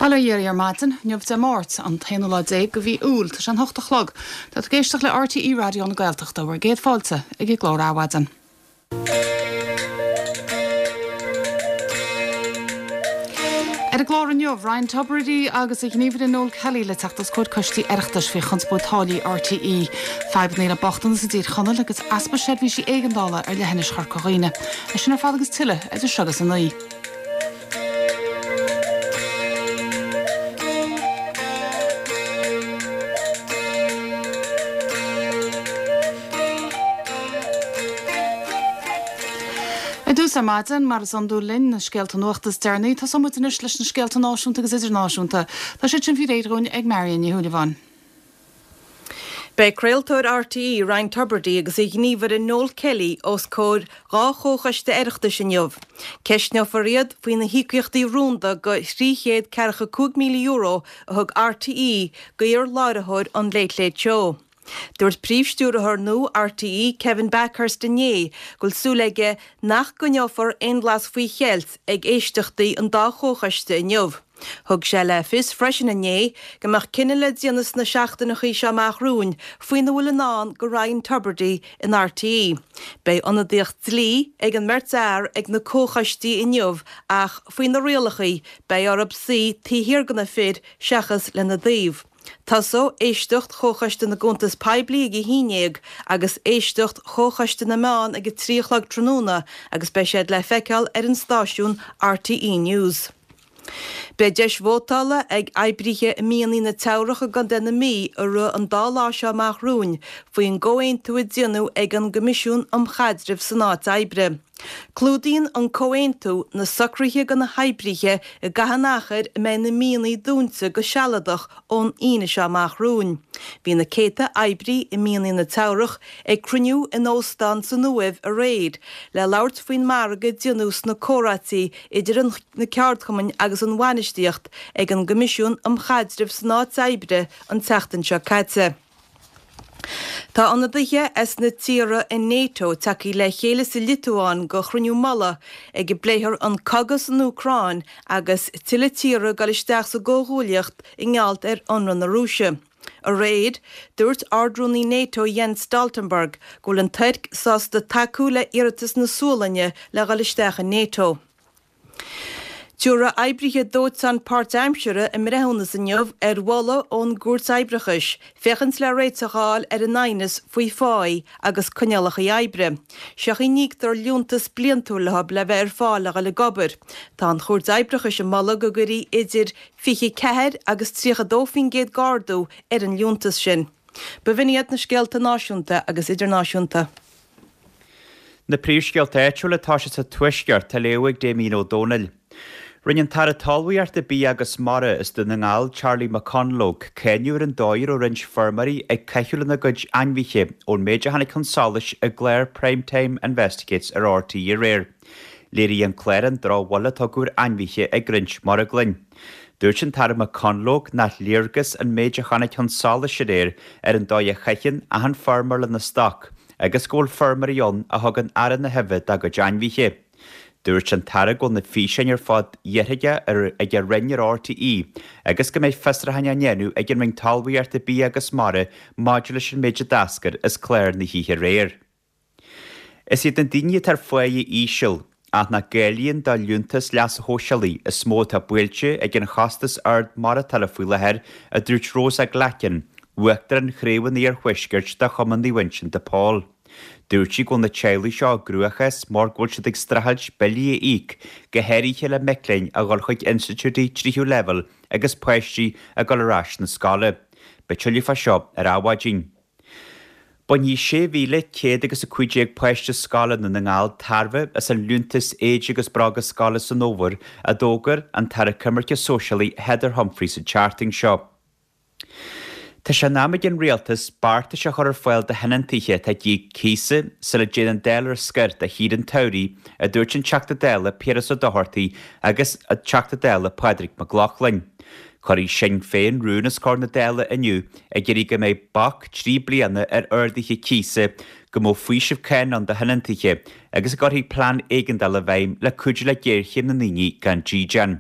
Bail ó Dhia oraibh ar maidin, inniu Dé Máirt, an t-aonú lá déag de mhí Iúil, tá sé an hocht a chlog. Tá tú ag éisteacht le RTÉ Raidió na Gaeltachta, bhur gcéad fáilte ag an gclár Adhmhaidin. Ar an gclár inniu, Ryan Tubridy agus a ghníomhaire Noel Kelly le teacht os comhair coistí Oireachtais faoi chonspóid táillí RTÉ, fadhbanna le bochtanas i dTír Chonaill agus easpa seirbhísí éigeandála ar leithinis Chorca Dhuibhne. É sin ar fad agus tuilleadh idir seo agus a 9. Ar dtús ar maidin, mar is iondúil linn, na scéalta nuachta is deireanaí. Tosóidh muid anois leis na scéalta náisiúnta agus idirnáisiúnta. Tá siad sin faoi réir dhúinn ag Marion Ní Shúilleabháin. Beidh craoltóir RTÉ, Ryan Tubridy agus a ghníomhaire Noel Kelly os comhair 2 chomhchoiste Oireachtais inniu. Ceistneofar iad faoi na híocaíochtaí rúnda de €345,000 a thug RTÉ d'iar-láithreoir an Late Late Show. Dúirt príomhstiúrthóir nua RTÉ, Kevin Bakhurst inné go bhfuil súil aige nach gcoinneofar aon bhlas faoi cheilt ag éisteachtaí an dá chomhchoiste inniu. Thug sé le fios freisin inné go mbeadh cinneadh le déanamh sna seachtaineachaí seo amach romhainn faoina bhfuil i ndán do Ryan Tubridy in RTÉ. Beidh ionadaíocht dlí ag an mbeirt fhear ag na comhchoistí inniu ach faoi na rialachaí beidh orthu suí taobh thiar de na fir seachas lena dtaobh. Tosóidh éisteacht Chomhchoiste na gCuntas Poiblí ag a haon dhéag agus éisteacht Chomhchoiste na Meán ag a 3 a chlog tráthnóna agus beidh siad le feiceáil ar an stáisiún RTÉ News. Beidh deis vótála ag oibrithe i mianaigh na Teamhrach i gContae na Mí i rith an dá lá seo amach romhainn faoin gcomhaontú a déanadh ag an gCoimisiún um Chaidreamh san Áit Oibre. Clúdaíonn an comhaontú na socruithe do na hoibrithe i gcaitheamh an achair a mbeidh na mianaigh dúnta go sealadach ón Aoine seo amach romhainn. Bhí na céadta oibrí i mianaigh na Teamhrach ag cruinniú in óstán san Uaimh aréir le labhairt faoin margadh a déanadh sna comhráití idir na ceardchumainn agus an bhainistíocht ag an gCoimisiún um Chaidreamh san Áit Oibre an tseachtain seo caite. Tá ionadaithe as na tíortha in NATO tagtha le chéile sa Liotuáin go chruinniú mullaigh ag a bpléifear an cogadh san Úcráin agus tuilleadh tíortha ag dul isteach sa gcomhghuaillíocht i ngeall ar ionradh na Rúise. Aréir, dúirt Ard-Rúnaí NATO Jens Stoltenberg go bhfuil an Tuirc sásta tacú le iarratas na Sualainne le dhul isteach in NATO. Tabharfaidh oibrithe dóiteáin páirtaimseartha a mbreithiúnas inniu ar mholadh ón gCúirt Oibreachais féachaint le réiteach a fháil ar an aighneas faoi pháí agus coinníollacha oibre. Seo chaoi a n-íoctar liúntas bliantúil leo le bheith ar fáil le dhul ag obair. Tá an Chúirt Oibreachais ag moladh go gcuirfí idir 24 agus 32% d'ardú ar an liúntas sin. B'in iad na scéalta náisiúnta agus idirnáisiúnta. Na príomhscéalta áitiúla atá sé sa Tuaisceart á léamh ag Damien Ó Dónaill. Rinne an tAire Talmhaíochta, Bia agus Mara as Dún na nGall, Charlie McConalogue, cáineadh ar an dóigh a raibh roinnt feirmeoirí ag caitheamh lena gcuid ainmhithe ón méid a tháinig chun solais i gclár Prime Time Investigates ar RTÉ aréir. Léirigh an clár an drochbhail a tugadh ar ainmhithe ag roinnt marglann. Dúirt an tAire McConalogue nach léargas an méid a tháinig chun solais aréir ar an dóigh a chaitheann achan feirmeoir lena stoc agus go bhfuil feirmeoirí ann a thugann aire na huibhe dá gcuid ainmhithe. Dúirt an tAire go bhfuil na físeáin ar fad iarrtha ag a Roinn ar RTÉ agus go mbeidh fiosrúcháin á ndéanamh ag an Roinn Talmhaíochta, Bia agus Mara maidir leis an méid a d'eascair as clár na hoíche aréir. Is iad na daoine atá ar pháighe íseal, ach nach gcáilíonn do liúntas leasa shóisialaigh, is mó atá buailte ag an chostas ard maireachtála faoi láthair, a dúirt Rosa Glackin, Uachtarán Chraobh an Iarthuaiscirt de Chumann Naomh Uinseann de Pól. Dúirt sí go bhfuil na teaghlaigh seo i gcruachás mar go bhfuil siad ag streachailt billí a íoc, go háirithe le mic léinn a dhul chuig institiúidí tríú leibhéal agus páistí ag dul ar ais na scoile. Beidh tuilleadh fá seo ar Adhmhaidin. Bainfidh 6,100 agus 15 páiste scoile i nDún na nGall tairbhe as an liúntas éide agus bróga scoile san fhómhar, a d'fhógair an tAire Coimirce Sóisialaí Heather Humphreys an tseachtain seo. Tá sé in am ag an Rialtas beartais a chur ar fáil do thionóntaithe atá ag íoc cíosa sula dtéann an Dáil ar scor do shaoire an tsamhraidh, a dúirt an Teachta Dála Piaras Ó Dochartaigh agus an Teachta Dála Pádraig Mac Lochlainn. Cuirfidh Sinn Féin rún os comhair na Dála inniu ag iarraidh go mbeidh bac 3 bliana ar arduithe cíosa, go mbeadh faoiseamh cánach ann do thionóntaithe agus go gcuirfí plean éigeandála i bhfeidhm le cuidiú le géarchéim na ndaoine gan dídean.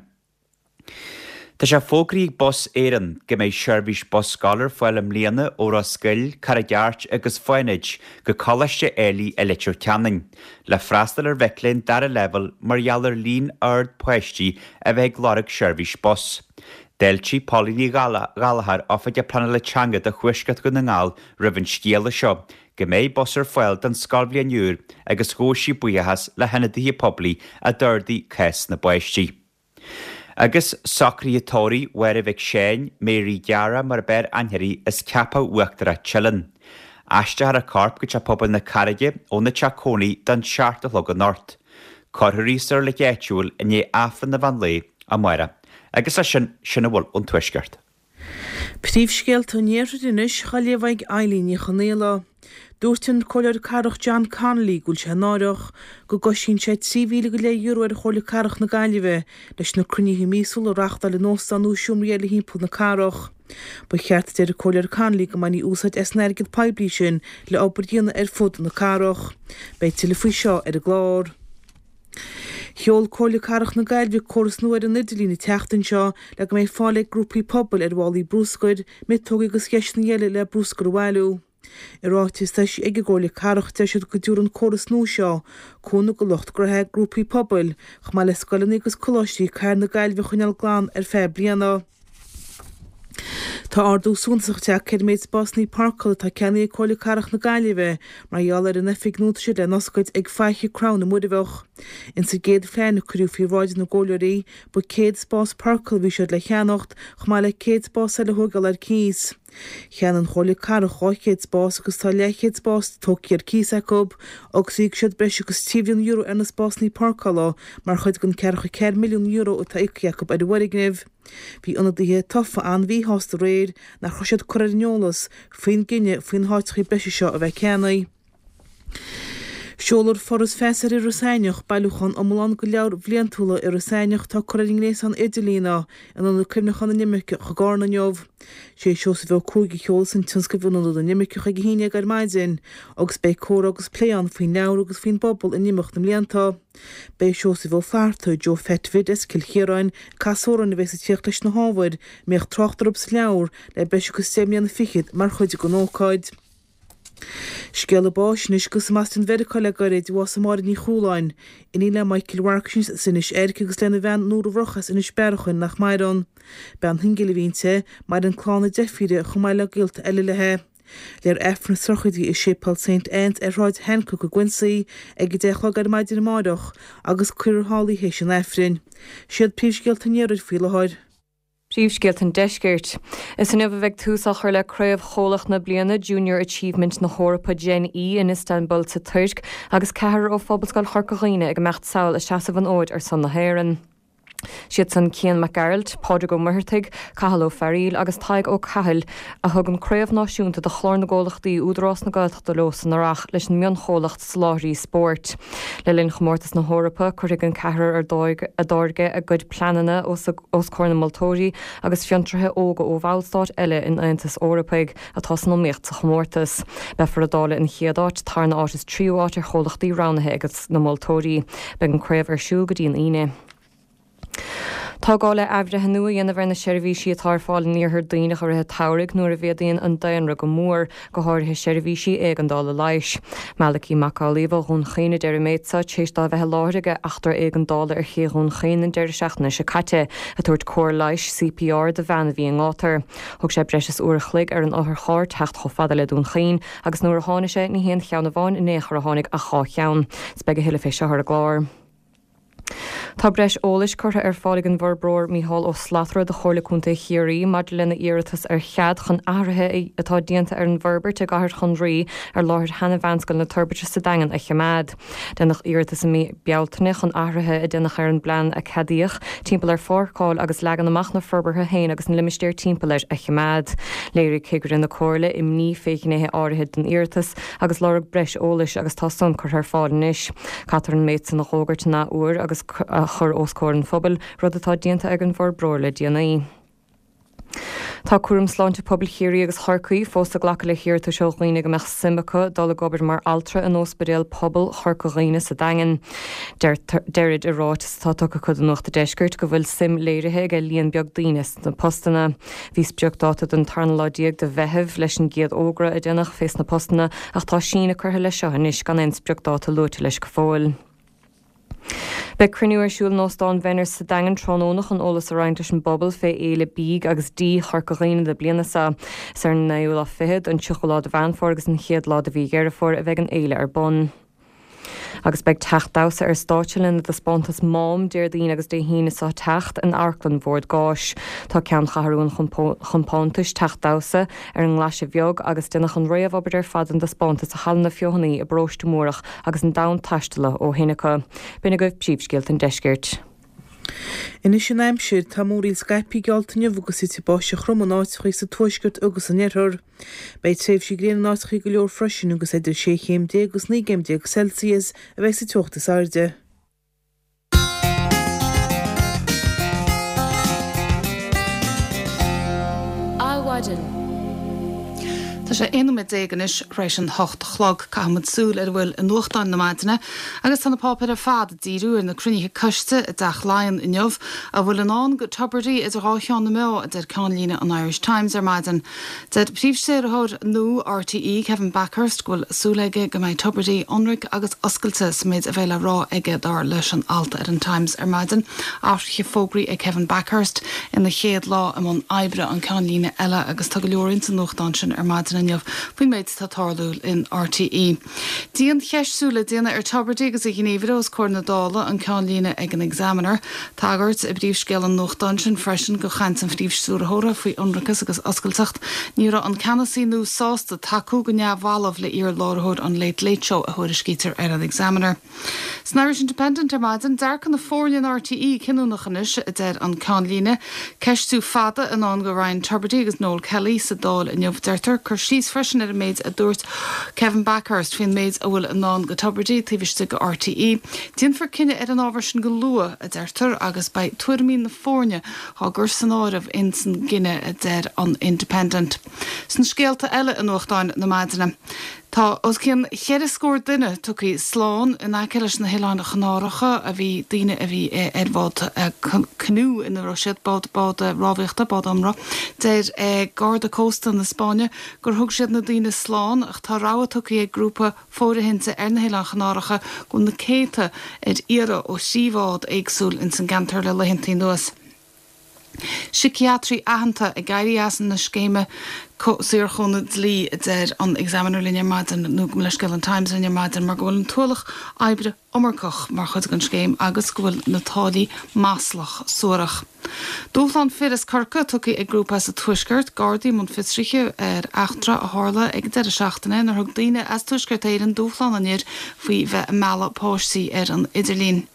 Tá sé fógraithe ag Bus Éireann go mbeidh seirbhís bus scoile ar fáil i mbliana ó Ros Goill, Carraig Airt agus Fánaid go Coláiste Éilí i Leitir Ceanainn, le freastal ar mhic léinn dara leibhéal mar gheall ar líon ard páistí a bheith ag lorg seirbhís bus. D'fháiltigh Pauline Ní Ghallchóir, Oifigeach Pleanála Teanga do Thuaisceart Dhún na nGall roimh an scéala seo go mbeidh bus ar fáil don scoilbhliain úr agus ghabh sí buíochas le hionadaithe poiblí a d'ardaigh cás na bpáistí. Agus socruithe tórraimh Mháire Mhic Seáin, Mary Dara mar ab fhearr aithne uirthi as Ceapach Uachtarach Teileann. Aistreofar a corp go Teach Pobail na Carraige óna teach cónaí don seacht a chlog anocht. Cuirfear í sa reilig áitiúil i ndiaidh Aifreann an mheán lae amárach. Agus leis sin, sin a bhfuil ón Tuaisceart. Príomhscéalta an Iarthair anois á léamh ag Eileen Ní Chonaola. Dúirt an Comhairleoir Cathrach John Connolly go bhfuil sé náireach go gcoisíonn sé €13,000 go leith ar Chomhairle Cathrach na Gaillimhe leis na cruinnithe míosúla a reáchtáil in óstán nó i seomraí eile thimpeall na cathrach. Ba cheart, a deir an Comhairleoir Connolly, go mbainfí úsáid as an airgead poiblí sin le obair a dhéanamh ar fud na cathrach. Beidh tuilleadh faoi seo ar an gclár. Sheol Comhairle Cathrach na Gaillimhe córas nua ar an idirlíon an tseachtain seo le go mbeidh fáil ag grúpaí pobail ar mhálaí brúscair, miotógaí agus dheiseanna eile le brúscar a bhailiú. I ráiteas atá eisithe ag an gComhairle Cathrach deir siad go dtabharfaidh an córas nua seo cúnamh do lucht gnoithe, grúpaí pobail, chomh maith le scoileanna agus coláistí cathair na Gaillimhe a choinneáil glan ar feadh bliana. Tá ardú suntasach tagtha ar an méid spásanna páirceála atá ceannaithe ag Comhairle Cathrach na Gaillimhe mar gheall ar an oifig nua atá siad le n-oscailt ag Faiche Crann i Muirbheach. Ins an gcéad phlean a cuireadh faoi bhráid na gcomhairleoirí, ba 100 spás páirceála a bhí siad le cheannacht, chomh maith le 100 spás eile a thóigeáil ar cíos. Cheannaigh an Chomhairle Cathrach 200 spás agus tá leathchéad spás tógtha ar cíos acu agus íocfaidh siad breis agus €3 mhilliún ar na spásanna páirceála mar chuid den €44 milliún atá íoctha acu ar an bhfoirgneamh. Bhí ionadaithe tofa an-mhíshásta aréir nach raibh siad curtha ar an eolas faoin gcinneadh faoi na háiteachaí breise seo a bheith ceannaithe. Seolfar Foras Feasa ar Iorras Aithneach, bailiúchán iomlán de leabhair bhliantúla Iorras Aithneach atá curtha ar an ngréasán idirlíne in Ionad Cuimhneacháin na nImirceach i gCarna inniu. Sé Seosamh Ó Cuaig a sheolfas an tionscnamh in Ionad na nImirceach ag a haon dhéag ar maidin agus beidh comhrá agus plé ann faoin leabhar agus faoin bpobal in imeacht na mblianta. Beidh Seosamh Ó Flatharta, Joe Pheait Bhid as Cill Chiaráin, ag casadh amhráin a bheas ag tíocht leis na hábhair a mbíodh trácht orthu sa leabhar le breis agus deich mbliana fichead mar chuid den ócáid. Scéala báis anois agus amach as Mheiriceá le gairid, bhásaigh Máire Ní Chualáin, iníon le Michael Mharcais as Inis Oirc agus lena bhean Nóra Mhurchadh as Inis Bearachain nach maireann. Bean shingil a bhí inti, maireann clann a deirfíre chomh maith le gaolta eile léi. Léifear Aifreann na sochraide i Séipéal Saint Anne's ar Shráid Hancock i gQuincy ag 10 a chlog ar maidin amáireach agus cuirfear thall í théis an Aifrinn. Siad príomhscéalta an Iarthair faoi láthair. Príomhscéalta an Deiscirt. Is inniu a bheidh tús á chur le Craobh Chomhlach na bliana Junior Achievement na hEorpa Gen E in Istanbul sa Tuirc agus ceathrar ó Phobalscoil Chorca Dhuibhne ag imeacht sall ag seasamh an fhóid ar son na hÉireann. Siad san Cian Mac Gearailt, Pádraig Ó Muircheartaigh, Cathal Ó Fearaíl agus Tadhg Ó Cathail a thug an craobh náisiúnta do Chlár na gComhlachtaí Údarás na Gaeltachta leo san Earrach leis an mionchomhlacht Soláthraí Spóirt. Le linn Chomórtas na hEorpa cuirfidh an ceathrar a dtáirge a gcuid pleananna os comhair na moltóirí agus fiontraithe óga ó bhallstáit eile an Aontais Eorpaigh atá san iomaíocht sa chomórtas. Beifear ag dáileadh an chéad áit, tarna áit is tríú áit ar chomhlachtaí roghnaithe ag na moltóirí. Beidh an craobh ar siúl go dtí an Aoine. Tá gá le athbhreithniú a dhéanamh ar na seirbhísí atá ar fáil in Iarthar Duibhneach i rith an tsamhraidh nuair a mhéadaíonn an daonra go mór, go háirithe seirbhísí éigeandála leighis. Malachy Mac Amhlaoibh ó Dhún Chaoin a deir an méid seo tar éis dó a bheith i láthair ag eachtra éigeandála ar ché Dhún Chaoin an deireadh seachtaine seo caite, ag tabhairt cóir leighis, CPR, do bhean a bhí i ngátar. Thóg sé breis is uair a chloig ar an otharcharr teacht chomh fada le Dún Chaoin agus nuair a tháinig sé, ní haon cheann amháin in aon chor a tháinig ach dhá cheann. 'S beidh a thuilleadh fé seo ar an gclár. Tá breis eolais curtha ar fáil ag an bhforbróir Mícheál Ó Slatara do Chomhairle Contae Chiarraí maidir lena iarratas ar chead chun athruithe atá déanta ar an bhforbairt i gCathair Chonraí ar láthair sheana-Mheánscoil na Toirbhirte sa Daingean a choimeád. Déanadh iarratas i mí Bealtaine chun athruithe a déanadh ar an bplean a ceadaíodh timpeall ar pháirceáil agus leagan amach na forbartha féin agus na limistéir timpeall air a choimeád. Léirigh cigire na Comhairle imní fé ghnéithe áirithe den iarratas agus lorg breis eolais agus tá san curtha ar fáil anois. Caithfear an méid san a dh'fhógairt in athuair agus a chur os comhair an phobail, rud atá déanta ag an bhforbróir le déanaí. Tá Cúram Sláinte Pobail Chiarraí agus Chorcaí fós ag glacadh le hiarratais ó dhaoine go mbeadh suim acu dul ag obair mar altra in Óspidéal Pobail Chorca Dhuibhne sa Daingean. Deirid i ráiteas atá tugtha acu do Nuacht a' Deiscirt go bhfuil suim léirithe aige líon beag daoine sna postanna. Bhí spriocdáta den tarna lá de Mheitheamh leis an gcéad fhógra a déanadh fés na postanna ach tá síneadh curtha leis seo anois gan aon spriocdáta luaite leis go fóill. Beidh cruinniú ar siúl in Óstán Bhenner's sa Daingean tráthnóna chun eolas a roinnt leis an bpobal fé Fhéile Bídh agus Dí Chorca Dhuibhne na bliana seo. Is ar an naoú lá fichead, an tríochú lá de Mheán Fómhair agus an chéad lá de mhí Dheireadh Fómhair a bheidh an fhéile ar bun. Agus beidh Teach Damhsa ar stáitse lena dtaispeántas Mám Déardaoin agus Dé hAoine seo teacht in Amharclann Bhord Gáis. Tá ceanncheathrú an chompántais, Teach Damhsa, ar an nGlaise Bheag agus déanadh an réamhobair ar fad don dtaispeántas i Halla na Feothanaí i bParóiste Múrach agus an domhan-taistealaithe ó shin acu. B'in agaibh príomhscéalta an deiscirt. Anois an aimsir, tá múraíl scaipthe geallta inniu agus titfidh báisteach throm in áiteachaí sa tuaisceart agus san oirthear. Beidh tréimhsí gréine in áiteachaí go leor freisin agus idir 16 chéim agus 19 gcéim Celsius a bheidh sa teocht is airde. Adhmhaidin. Tá sé 11 nóiméad anois tar éis an 8 a chlog. Caithfidh muid súil ar a bhfuil i nuachtáin na maidine agus tá na páipéir ar fad ag díriú ar na cruinnithe coiste i dTeach Laighean inniu. A bhfuil i ndán go Tubridy idir dhá cheann na meá, a deir ceannlíne an Irish Times ar maidin. Deir Príomhstiúrthóir nua RTÉ, Kevin Bakhurst, go bhfuil súil aige go mbeidh Tubridy ionraic agus oscailte sa méid a bheidh le rá aige, dar leis an alt ar an Times ar maidin. Athruithe fógraithe ag Kevin Bakhurst ina chéad lá i mbun oibre, an ceannlíne eile agus tá go leor ins an nuachtán sin ar maidin inniu faoin méid atá ag tarlú in RTÉ. Diancheistiú le déanamh ar Tubridy agus a ghníomhaire os comhair na Dála, an ceannlíne ag an Examiner. Tagairt i bpríomhscéal an nuachtáin sin freisin go chaint an phríomhstiúrthóra faoi ionracas agus oscailteacht. Ní raibh an ceannasaí nua sásta tacú go neamhbhalbh le iar-láithreoir an Late Late Show, a thuairiscítear ar an Examiner. San Irish Independent ar maidin, dearcadh na foirne in RTÉ cinniúnach anois, a deir an ceannlíne. Ceistiú fada i ndán go Ryan Tubridy agus Noel Kelly sa Dáil inniu, deirtear. Cur síos freisin ar an méid a dúirt Kevin Bakhurst faoin méid a bhfuil i ndán go Tubridy taobh istigh de RTÉ. Déanfar cinneadh ar an ábhar sin go luath, a deirtear, agus beidh tuairimí na foirne á gcur san áireamh ins an gcinneadh, a deir an Independent. Sna scéalta eile i nuachtáin na maidine, tá os cionn cheithre scór duine tugtha slán in aice leis na hOileáin Chanáracha a bhí daoine a bhí ar bhád canoe ina raibh siad, bád bád rámhaíochta, bád iomramh. Deir Garda Cósta na Spáinne gur thug siad na daoine slán ach tá rabhadh tugtha ag grúpa fóirithinte ar na hOileáin Chanáracha go bhfuil na céadta ar iarraidh ó thrí bhád éagsúil ins an gceantar le laethanta anuas. Síciatraí aitheanta ag éirí as na scéime saorchúnamh dlí, a deir an Examiner linn ar maidin, nó gabh mo leithscéal, an Times linn ar maidin, mar go bhfuil an t-ualach oibre iomarcach mar chuid den scéim agus go bhfuil na táillí maslach suarach. Dúshlán fir as Corcaigh tugtha ag grúpa as an Tuaisceart, Gardaí i mbun fiosraithe ar eachtra a tharla ag an deireadh seachtaine inar thug daoine as Tuaisceart Éireann dúshlán an fhir faoi bheith ag mealladh páistí ar an idirlíon.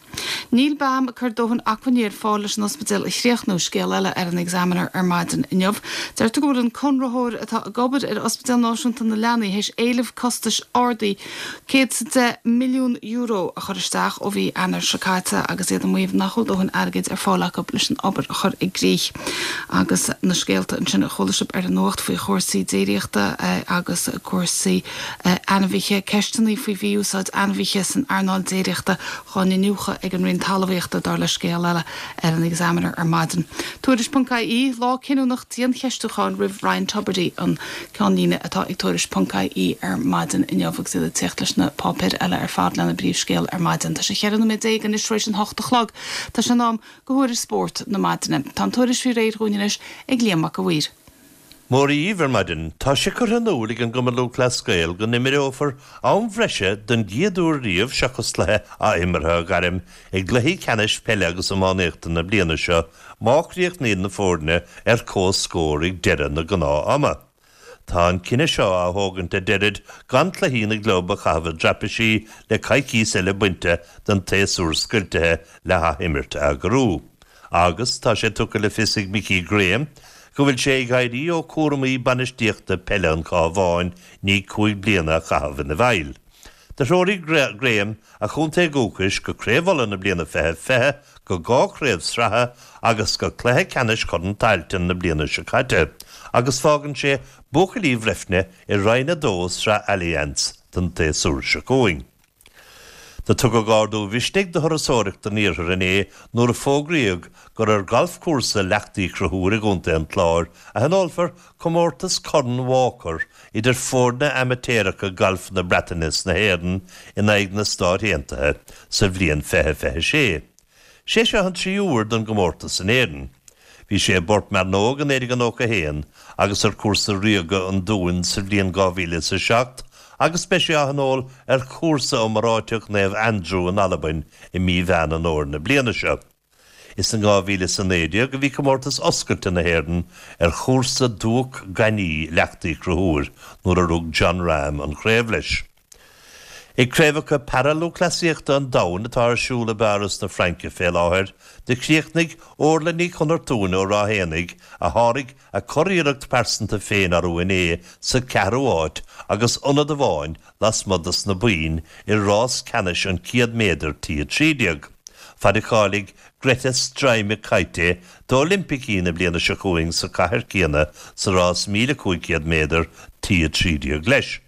Níl BAM ag cur dóthain acmhainní ar fáil leis an ospidéal a chríochnú, scéal eile ar an Examiner ar maidin inniu. Deirtear go bhfuil an conraitheoir atá ag obair ar Ospidéal Náisiúnta na Leanaí théis éileamh costais ardaithe €110 milliún a chur isteach ó mhí Eanáir seo caite agus iad ag maíomh nach bhfuil dóthain airgid ar fáil acu leis an obair a chur i gcrích. Agus na scéalta ansin a chuala sibh ar an nuacht faoi chúrsaí déiríochta agus cúrsaí ainmhithe, ceisteanna faoi mhí-úsáid ainmhithe san earnáil déiríochta dhá n-iniúchadh ag an Roinn Talmhaíochta, dar le scéal eile ar an Examiner ar maidin. Tuairisc.ie, Lá cinniúnach diancheistiúcháin roimh Ryan Tubridy, an ceannlíne atá ag Tuairisc.ie ar maidin inniu agus iad ag tíocht leis na páipéir eile ar fad lena bpríomhscéal ar maidin. Tá sé 14 nóiméad anois tar éis an hocht a chlog. Tá sé in am go thuairisc spóirt na maidine. Tá an tuairisc faoi réir dhúinn anois ag Liam Mac a' Mhaoir. Mora dhaoibh ar maidin. Tá sé curtha in iúl ag an gCumann Lúthchleas Gael go n-imreofar am bhreise don gcéad uair riamh seachas cluiche athimeartha a ghairm i gcluichí ceannais peile agus iománaíochta na bliana seo má chríochnaíonn na foirne ar comhscór ag deireadh na gnáth-ama. Tá an cinneadh seo á thógaint a deirid gan cluichí na gclub a chaitheamh i dtraipisí le coicíos eile bainte den tséasúr scoiltithe le hathimirt a eagrú. Agus tá sé tugtha le fios ag Mickey Graham go bhfuil sé ag éirí ó chúramaí bainistíochta peile an Chabháin i ndiaidh 5 bliana a chaitheamh ina bhfeighil. Do threoraigh Graham a chontae dhúchais go Craobh Uladh na bliana 2020 go. go 2 chraobh sraithe agus go cluiche ceannais Chorn Tailteann na bliana seo caite agus fágann sé buachaillí Bhreifne i Roinn 2 Sraith Allianz don tséasúr seo chugainn. Do tugadh ardú mhisnigh do thurasóireacht an iarthair inné nuair a fógraíodh gur ar ghalfchúrsa Leacht Uí Chonchúir i gContae an Chláir a thionólfar comórtas Corn Walker idir foirne amaitéaracha gailf na Breataine is na hÉireann in aghaidh na Stáit Aontaithe sa bhliain 2026. Sé seo an tríú huair don gcomórtas in Éirinn. Bhí sé i bPort Mearnóg i 1991 agus ar chúrsa Ríoga an Dúin sa bhliain 2007 agus beidh sé á thionól ar chúrsa iomráiteach Naomh Andrew in Albain i mí Mheán an Fhómhair na bliana seo. Is in 2019 a bhí Comórtas Oscailte na hÉireann ar chúrsa Dumhach Gainimh Leacht Uí Chonchúir nuair a rug Jon Rahm an chraobh leis. Ag Craobhacha Para-Lúthchleasaíochta an Domhain atá ar siúl i bPáras na Fraince fé láthair, do chríochnaigh Orla Ní Chonartúin ó Ráth Éanaigh, a sháraigh a curiarracht pearsanta féin arú inné, sa cheathrú háit agus ionad amháin lasmuigh dos na boinn i rás ceannais an 100 méadar T13. Faid a cháiligh Greta Streimikyte d'Oilimpicí na bliana seo chugainn sa chathair céanna sa rás 1,500 méadar T13 leis.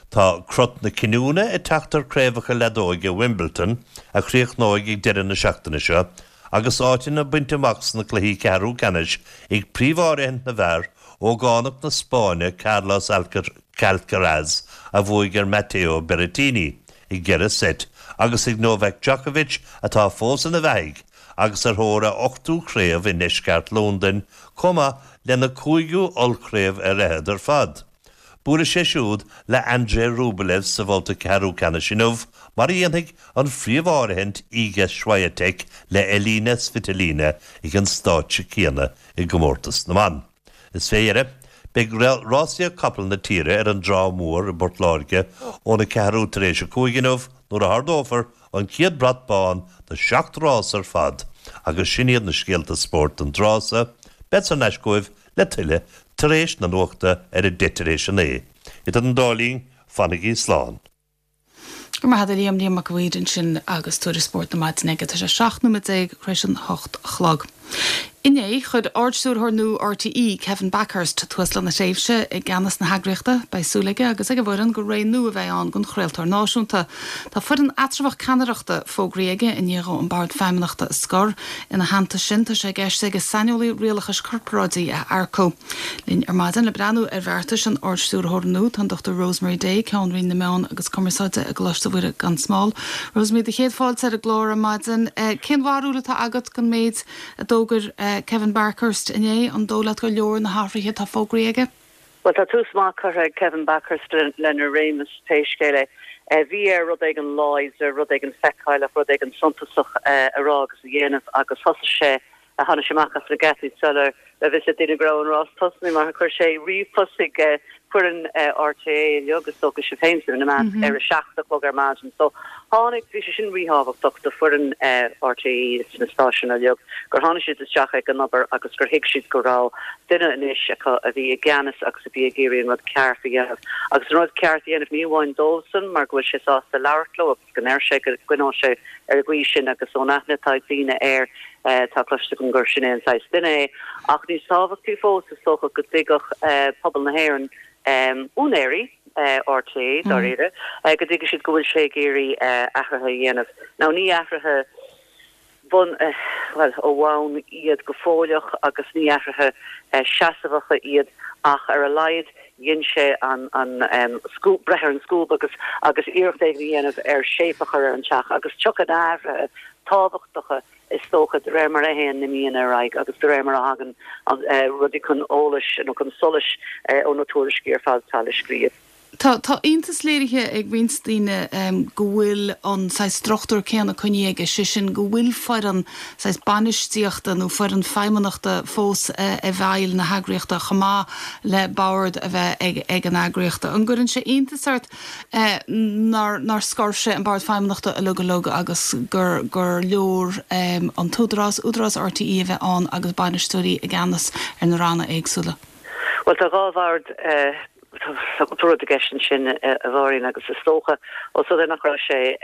Tá crot na cinniúna ag teacht ar chraobhacha leadóige Wimbledon, a chríochnóidh ag deireadh na seachtaine seo, agus áiteanna bainte amach sna cluichí ceathrú ceannais ag príomh-áirithint na bhfear, ógánach na Spáinne Carlos Alcaraz a bhuaigh ar Matteo Berrettini i gceithre seit agus ag Novak Djokovic atá fós ina bheathaidh agus ar thóir a ochtú craobh i ndeisceart Londain chomh maith lena cúigiú ollchraobh ar fhichead ar fad. Buailfidh sé siúd le Andrei Rublev sa bhabhta ceathrú ceannais inniu, mar a dhéanfaidh an phríomh-áirithint Iga Swiatek le Elina Svitolina ag an stáitse céanna i gcomórtas na mban. Is fé dheireadh, beidh rásaíocht capall na tíre ar an dTrá Mhór i bPort Láirge óna ceathrú tar éis a 5 inniu nuair a hardófar an chéad brat bán do sheacht rás ar fad agus sin iad na scéalta spóirt don dtráth so. Bead thar n-ais chugaibh le tuilleadh tar éis na nuachta ar a deich tar éis a 9. Idir an dá linn, fanaigí slán. Go raibh maith agat a Liam, Liam Mac a' Mhaoir ansin agus tuairisc spóirt na maidine aige. Tá sé 17 nóiméad tar éis an 8 a chlog. Inné, chuir Ard-Stiúrthóir nua RTÉ, Kevin Bakhurst, tús lena thréimhse i gceannas na heagraíochta. Beidh súil aige agus ag a bhfoireann gur ré nua a bheidh ann don chraoltóir náisiúnta. Tá foireann eatramhach ceannaireachta fógraithe aige i ndiaidh dhó an Bord Feidhmeannachta a scor. Ina theannta sin, tá sé i gceist aige saineolaí rialachais corparáidigh a earcú. Linn ar maidin le breathnú ar bheartais an Ard-Stiúrthóra nua tá an Dr Rosemary Day, Ceann Roinn na Meán agus Cumarsáide i gColáiste Mhuire gan Smál. Rosemary, do chéad fáilte ar an gclár ar maidin. Cén bharúil atá agat den méid a d'fhógair Kevin Bakhurst inné? An dóigh leat gur leor na hathruithe atá fógraithe aige? Bhuel, tá tús maith curtha ag Kevin Bakhurst lena réimeas, pé scéal é. Bhí air rud éigin láidir, rud éigin feiceálach, rud éigin suntasach a rá agus a dhéanamh agus thosaigh sé, tháinig sé amach as na geataí sula raibh fhios ag daoine go raibh an rás tosnaithe mar chuir sé ríomhphost chuig foireann RTÉ uilig, is dócha, sibh féin ina measc, ar a 7 a chlog ar maidin. So, tháinig, bhí sé sin ríthábhachtach do foireann RTÉ is na stáisiúin uilig gur tháinig siad isteach ag an obair agus gur thuig siad go raibh duine anois acu a bhí i gceannas agus a bhí ag iarraidh an rud ceart a dhéanamh. Agus an rud ceart a dhéanamh ní amháin dóibhsan mar go bhfuil sé sásta labhairt leo agus go ndeir sé go gcoinneoidh sé ar an gcaoi sin agus ón aithne atá ag daoine air tá cloiste agam gur sin é an saghas duine é. Ach níos tábhachtaí fós is dócha go dtuigfeadh pobal na hÉireann, úinéirí RTÉ dáiríre, go dtuigfidh siad go bhfuil sé ag iarraidh athruithe a dhéanamh. Now ní athruithe. bun, bhuel, ó bhonn iad go fóilleach agus ní athruithe seasmhacha iad ach ar a laghad dhein sé an, an scuab, breith ar an scuab agus, agus iarracht éigin a dhéanamh ar shape a chur ar an teach agus tiocfaidh na hathruithe tábhachtacha is dócha de réir mar a théann na míonna ar aghaidh agus de réir mar a thagann rudaí chun eolais nó chun solais ó na tuairiscí ar fad atá le scríobh. Tá tá iontas léirithe ag roinnt daoine go bhfuil an saghas struchtúr céanna coinnithe aige, sé sin go bhfuil foireann saghas bainistíochta nó foireann feidhmeannachta fós i bhfeighil na heagraíochta chomh maith le bord a bheith ag ag an eagraíocht. An gcuireann sé iontas ort nár nár scor sé an bord feidhmeannachta uilig uilig agus gur gur leor an t-údarás, Údarás RTÉ a bheith ann agus bainisteoirí i gceannas ar na ranna éagsúla? Bhuel tá 2 bhord Tá cúpla rud i gceist ansin, a Mháirín, agus is dócha, ós rud é nach raibh sé.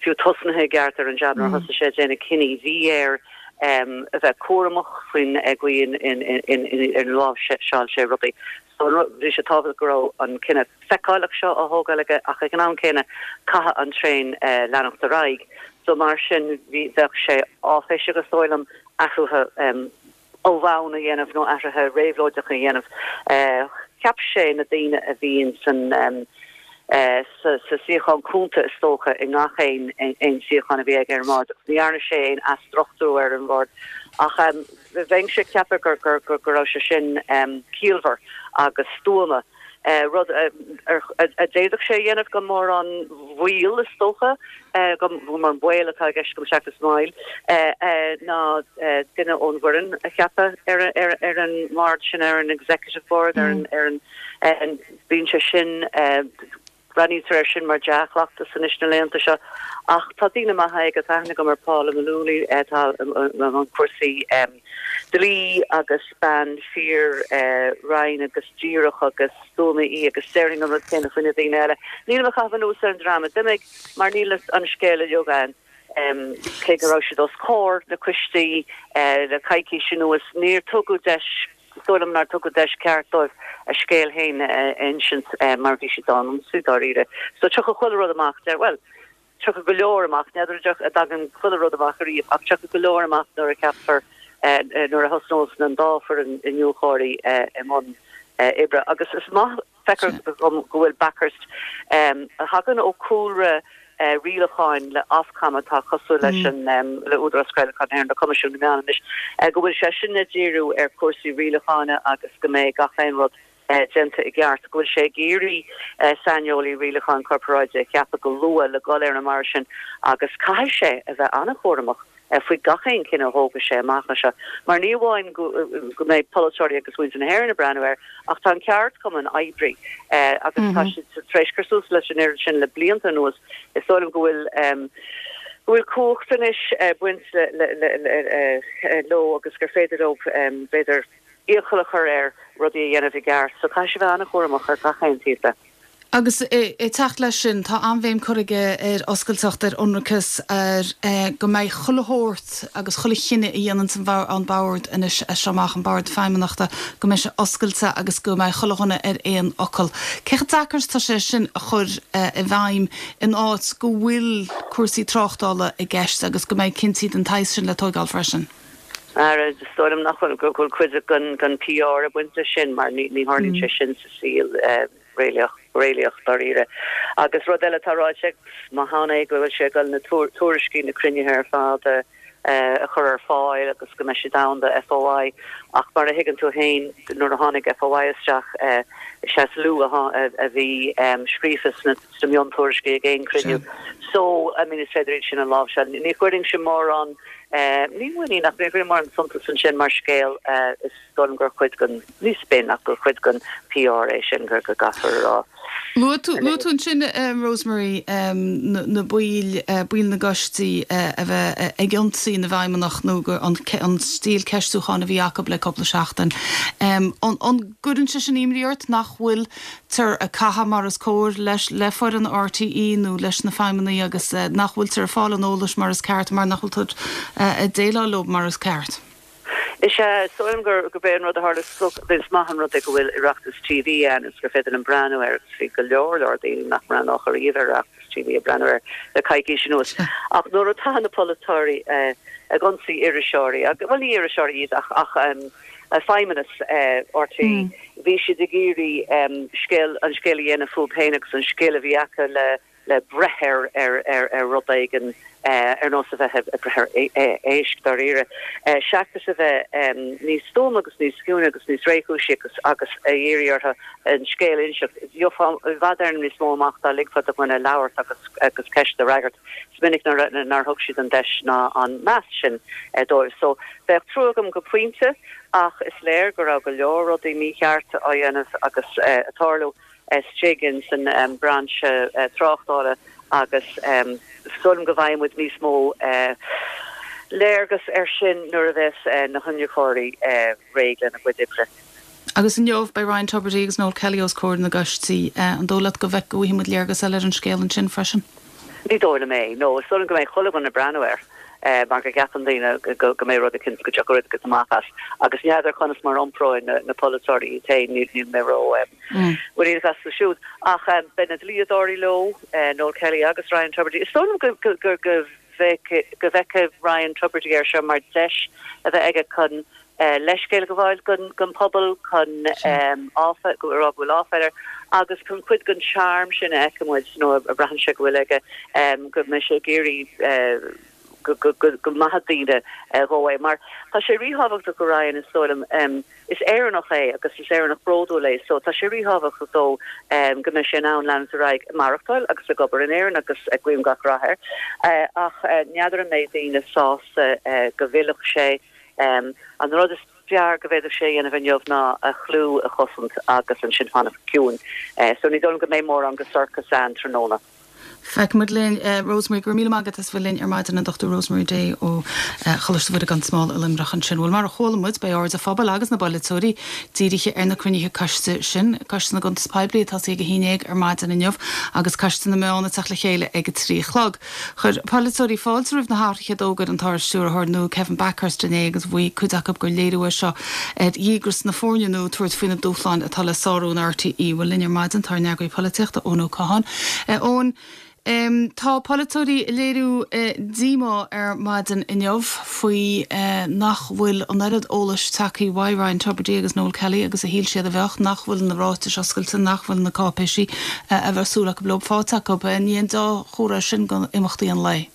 fiú tosnaithe i gceart ar an jab nuair a thosaigh sé ag déanamh cinní. Bhí air a bheith cúramach faoin gcaoi inar láimhseáil sé rudaí. So bhí sé tábhachtach go raibh an cinneadh feiceálach seo á thógáil aige ach ag an am céanna caithfidh an traein leanacht ar aghaidh. So mar sin bhí, bheadh sé áiféiseach is dóigh liom athruithe ó bhonn a dhéanamh nó athruithe réabhlóideacha a dhéanamh. Cheap sé na daoine a bhí in san sa suíochán cúnta is dócha i ngach aon aon suíochán a bhí aige ar an mbord agus ní dhearna sé aon athstruchtúrú ar an bhord ach bheinnse ag ceapadh gur gur gur go raibh sé sin ciallmhar agus stuama. Rud a d'fhéadfadh sé a dhéanamh gan mórán mhoill is dócha, gan mórán baol atá i gceist agam seachas moill, ná duine ón bhfoireann a cheapadh ar an mbord sin, ar an executive board, ar an, bíonn sé sin, breathnaítear air sin mar dea-chleachtas anois na laethanta seo. Ach tá daoine maithe aige, tá aithne agam ar Paula Mullooly atá i mbun cúrsaí dlí agus bean fíor righin agus díreach agus stuama í agus déarfainn an rud céanna faoi na daoine eile. Nílim ag caitheamh anuas ar an dream a d'imigh mar níl an scéal uilig againn. Cé go raibh siad os comhair na coistí le coicís anuas, níor tugadh deis Is dóigh liom nár tugadh deis ceart dóibh a scéal féin a insint mar bhí siad á n-ionsaí dáiríre. So tiocfaidh chuile rud amach, deir, bhuel, tiocfaidh go leor amach, n'fheadar an dtagann chuile rud amach ariamh ach tiocfaidh go leor amach nuair a cheapfar, nuair a thosnós an dá foireann iniúchóirí i mbun oibre. Agus is maith. Feictear dom go bhfuil Bakhurst, a thagann ó chúlra rialacháin le Ofcom atá cosúil leis an le Údarás Craolacháin na hÉireann, le Coimisiún na Meán anois, go bhfuil seisean ag díriú ar chúrsaí rialacháin agus go mbeidh gach aon rud déanta i gceart, go bhfuil sé ag iarraidh saineolaí rialacháin corparáide a cheapadh go luath le dhul ar an mbord sin agus caithfidh sé a bheith an-chúramach. faoi gach aon chinneadh a thógfaidh sé amach anseo, mar ní amháin go mbeidh polaiteoirí agus muintir na hÉireann ag breathnú air, ach tá an ceardchumann oibrí agus tá siad tar éis cur suas leis an oiread sin le blianta anuas. Is dóigh liom go bhfuil go bhfuil cumhacht anois ag baint leo agus gur féidir leo, b'fhéidir, iachall a chur air rudaí a dhéanamh i gceart. So caithfidh sé bheith an-chúramach ar gach aon taobh de. Agus ag teacht leis sin, tá an-bhéim curtha aige ar oscailteacht, ar ionracas, ar go mbeidh chuile shórt agus chuile chinneadh a dhéananns an Bord anois as seo amach, an Bord Feidhmeannachta, go mbeidh sé oscailte agus go mbeidh chuile dhuine ar aon fhocal. Cé chomh deacair is atá sé sin a chur i bhfeidhm in áit go bhfuil cúrsaí tráchtála i gceist agus go mbeidh cinntí den tsaghas sin le tóigeáil freisin? Ara, is dóigh liom nach bhfuil, go bhfuil cuid den PR ag baint leis sin mar ní tharlaíonn sé sin sa saol. réalaíoch, réalaíoch dáiríre. Agus rud eile atá ráite ag, maith ann é, go bhfuil sé ag dul na tuairiscí na cruinnithe ar fad a a chur ar fáil agus go mbeidh siad ann do FOI ach mar a thuigeann tú féin nuair a tháinig FOI isteach is ea is lú a bhí scríofa sna sna miontuairiscí ag aon chruinniú. So, I mean is féidir iad sin a láimhseáil. Ní chuirfinnse mórán, ní muinín ach ní chuirfinn mórán suntas ansin mar scéal is dóigh liom gur chuid den, ní spin ach gur chuid den PR é sin go gcaithfear a rá. Luaigh tú, luaigh tú ansin, Rosemary, na baill, baill na gcoistí a bheith ag ionsaí na bhfeidhmeannach nó an, an stíl ceistiúcháin a bhí acu le cúpla seachtain. An, an gcuireann sé sin imní ort nach bhfuiltear ag caitheamh mar is cóir leis, le foireann RTÉ nó leis na feidhmeannaigh agus nach bhfuiltear ag fáil an eolais mar is ceart mar nach bhfuil tú ag déileáil leo mar is ceart? Is ea, is dóigh liom gurb é an rud a tharla, is maith an rud é go bhfuil Oireachtas TV ann is gur féidir linn breathnú air agus bhí go leor leor daoine nach mbreathnódh ariamh ar Oireachtas TV ag breathnú air le coicís anuas. Ach nuair atá na polaiteoirí ag ionsaí iriseoirí, bhuel ní iriseoirí iad ach ach feidhmeannas RTÉ, bhí siad ag iarraidh scéal, an scéal a dhéanamh fúthu féin agus an scil a bhí acu le le breith ar ar rud éigin ar nós a bheith ag breith ar éisc dáiríre, seachas a bheith níos stuama agus níos ciúine agus níos réchúisí agus agus a iarraidh orthu an scéal a inseacht. Gheofá i bhfad Éireann níos mó amach dá ligfeá do dhuine labhairt agus agus ceist a fhreagairt. Is minic nár thug siad an deis ná an meas sin dóibh. So bheadh trua agam go pointe ach is léir go raibh go leor rudaí mícheart á dhéanamh agus ag tarlú. istigh ins an brainse tráchtála agus is dóigh liom go bhfaighidh muid níos mó léargas air sin nuair a bheas na hiniúchóirí réidh lena gcuid oibre. Agus inniu, beidh Ryan Tubridy agus Noel Kelly os comhair na gcoistí. An dóigh leat go bhfaighidh muid léargas eile ar an scéal ansin freisin? Ní dóigh liom é, no. Is dóigh liom go mbeidh chuile dhuine ag breathnú air mar go gceapann daoine go mbeidh rud eicínt, go dtiocfaidh rud eicínt amach as. Agus n'fheadar conas mar a iompróidh na polaiteoirí iad féin, níl mé ró mhuiníneach astu siúd. Ach beidh na dlíodóirí leo, Noel Kelly agus Ryan Tubridy. Is dóigh liom go go go bhfeicfidh Ryan Tubridy air seo mar deis a bheith aige chun leithscéal a ghabháil don phobal, chun a rá go bhfuil áiféala air agus chun cuid den charm sin a fheiceann muid nó a bhraitheann sé go bhfuil aige, go mbeidh sé ag iarraidh go maithfidh daoine dhó é. Mar tá sé ríthábhachtach do Ryan, is dóigh liom, is Éireannach é agus is Éireannach bródúil é so tá sé ríthábhachtach dó go mbeidh sé in ann leanúint ar aghaidh ag maireachtáil agus ag obair in Éirinn agus guím gach rath air. Ach n'fheadar an mbeidh daoine sásta go bhfillfeadh sé. An rud is fearr go bhféadfadh sé a dhéanamh inniu ná a chlú a chosaint agus ansin fanacht ciúin. So ní dóigh liom go mbeidh mórán de sorcas ann tráthnóna. Feicfimid linn. Rosemary, go raibh míle maith agat as bheith linn ar maidin, an Dr Rosemary Day ó Choláiste Mhuire gan Smál i Luimneach ansin. Bhuel, mar a chuala muid, beidh aird an phobail agus na bpolaiteoirí dírithe ar na cruinnithe coiste sin, Coiste na gCuntas Poiblí ag tosaí ag 11 ar maidin inniu agus Coiste na Meán ag teacht le chéile ag a 3 a chlog. Chuir polaiteoirí fáilte roimh na hathruithe a d'fhógair an tArd-Stiúrthóir nua Kevin Bakhurst inné agus mhaígh cuid acu gur léiriú é seo ar dhíograis na foirne nua tabhairt faoi na dúshláin atá le sárú in RTÉ. Bhuel linn ar maidin tá ár n-eagraí polaitíochta Eoin Ó Catháin. Eoin, tá polaiteoirí ag léiriú díomá ar maidin inniu faoi nach bhfuil an oiread eolais tagtha uaidh Ryan Tubridy agus Noel Kelly agus a shíl siad a bheadh, nach bhfuil na ráitis oscailte, nach bhfuil na cáipéisí a bheadh súil acu leo faighte acu. Ní haon dea-chomhartha sin do imeachtaí an lae.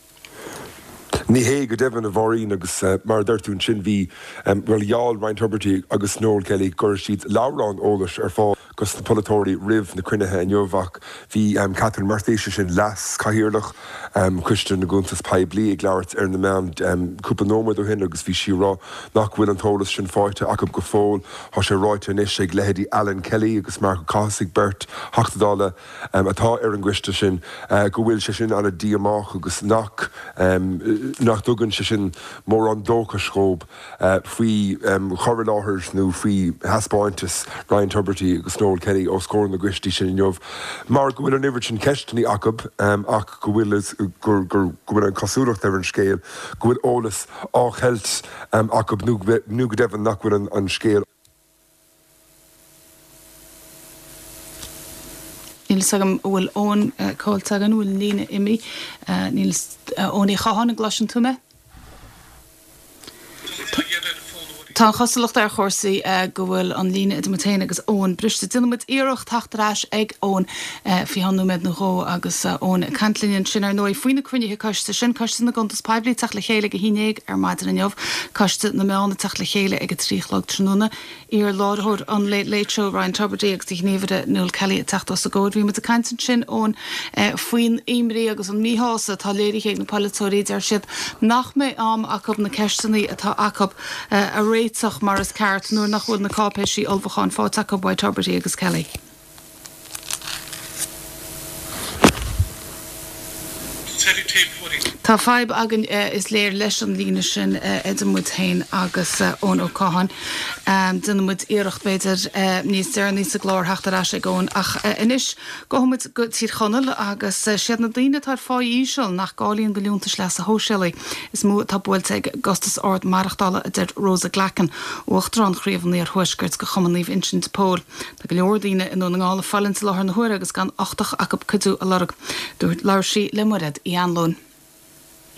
Ní hé go deimhin, a Mháirín, agus mar a deir tú ansin, bhí, bhuel, gheall Ryan Tubridy agus Noel Kelly go gcuirfeadh siad leabhrán eolais ar fáil dos na polaiteoirí roimh na cruinnithe inniu ach bhí Catherine Murphy, sé sin Leas-Chathaoirleach Choiste na gCuntas Poiblí, ag labhairt ar na meáin cúpla nóiméad ó shin agus bhí sí ag rá nach bhfuil an t-eolas sin faighte acu go fóill. Tá sé ráite anois ag leithéidí Alan Kelly agus Marc Ó Cathasaigh, beirt Theachta Dála atá ar an gcoiste sin, go bhfuil sé sin an-díomách agus nach nach dtugann sé sin mórán dóchais dhóibh. faoi chur i láthair nó faoi thaispeántas Ryan Tubridy agus Noel Kelly os comhair na gcoistí sin inniu mar go bhfuil an oiread sin ceisteanna acu ach go bhfuil go bhfuil an chosúlacht ar an scéal go bhfuil eolas á cheilt acu nó go deimhin nach bhfuil an scéal Níl fhios agam an bhfuil Eoin caillte againn, an bhfuil an líne imithe? Níl fhios, Eoin Uí Chatháin, an gcloiseann tú mé? Tá an chosúlacht ar chúrsaí go bhfuil an líne idir muid féin agus Eoin briste. Déanfaidh muid iarracht teacht ar ais ag Eoin faoi cheann nóiméad nó dhó agus Eoin ag caint linn ansin ar ndóigh faoi na cruinnithe coiste sin, Coiste na gCuntas Poiblí ag teacht le chéile ag a haon dhéag ar maidin inniu, Coiste na Meán ag teacht le chéile ag a 3 a chlog tráthnóna. Iar-láithreoir an Late Late Show, Ryan Tubridy agus a ghníomhaire Noel Kelly ag teacht os a gcomhair. Bhí muid ag caint ansin, Eoin, faoin imní agus an míshásamh atá léirithe ag na polaiteoirí. Deir siad nach mbeidh am acu na ceisteanna atá acu a réiteach mar is ceart nuair nach bhfuil na cáipéisí ullmhúcháin faighte acu uaidh Tubridy agus Kelly. Tá fadhb againn, is léir, leis an líne sin idir muid féin agus Eoin Ó Catháin. Déanfaidh muid iarracht, b'fhéidir, níos deireanaí sa gclár theacht ar ais ag Eoin. Ach anois, gabhfaidh muid go Tír Chonaill agus siad na daoine atá ar pháí íseal, nach gcáilíonn do liúntais leasa shóisialaigh, is mó atá buailte ag an gcostas ard maireachtála, a deir Rosa Glackin, Uachtarán Chraobh an Iarthuaiscirt de Chumann Naomh Uinseann de Pól. Tá go leor daoine i nDún na nGall ag fulaingt i láthair na huaire agus gan uchtach acu cuidiú a lorg. Dúirt Labhair sí le Mairéad Uí Anluain.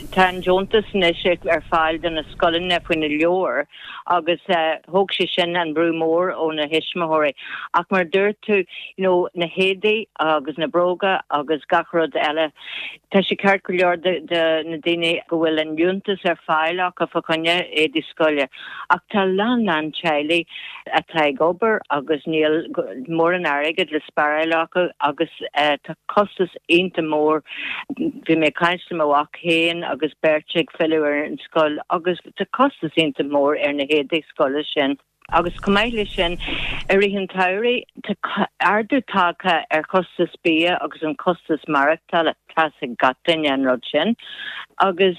Tá an deontas anois ar fáil do na scoileanna faoi na leabhair agus thóg sé sin an brú mór ó na thuismitheoirí. Ach mar a dúirt tú, you know, na héadaí agus na bróga agus gach rud eile, tá sé ceart go leor do na daoine go bhfuil an liúntas ar fáil acu fá choinne éadaí scoile ach tá a lán lán teaghlaigh atá ag obair agus níl mórán airgid le spáráil acu agus tá costas iontach mór. Bhí mé ag caint le mo mhac féin agus beirt ag filleadh ar an scoil agus tá costas iontach mór ar na héadaí scoile sin. Agus chomh maith leis sin, i rith an tsamhraidh, tá ardú tagtha ar chostas bia agus an costas maireachtála, tá's ag gach duine an rud sin. Agus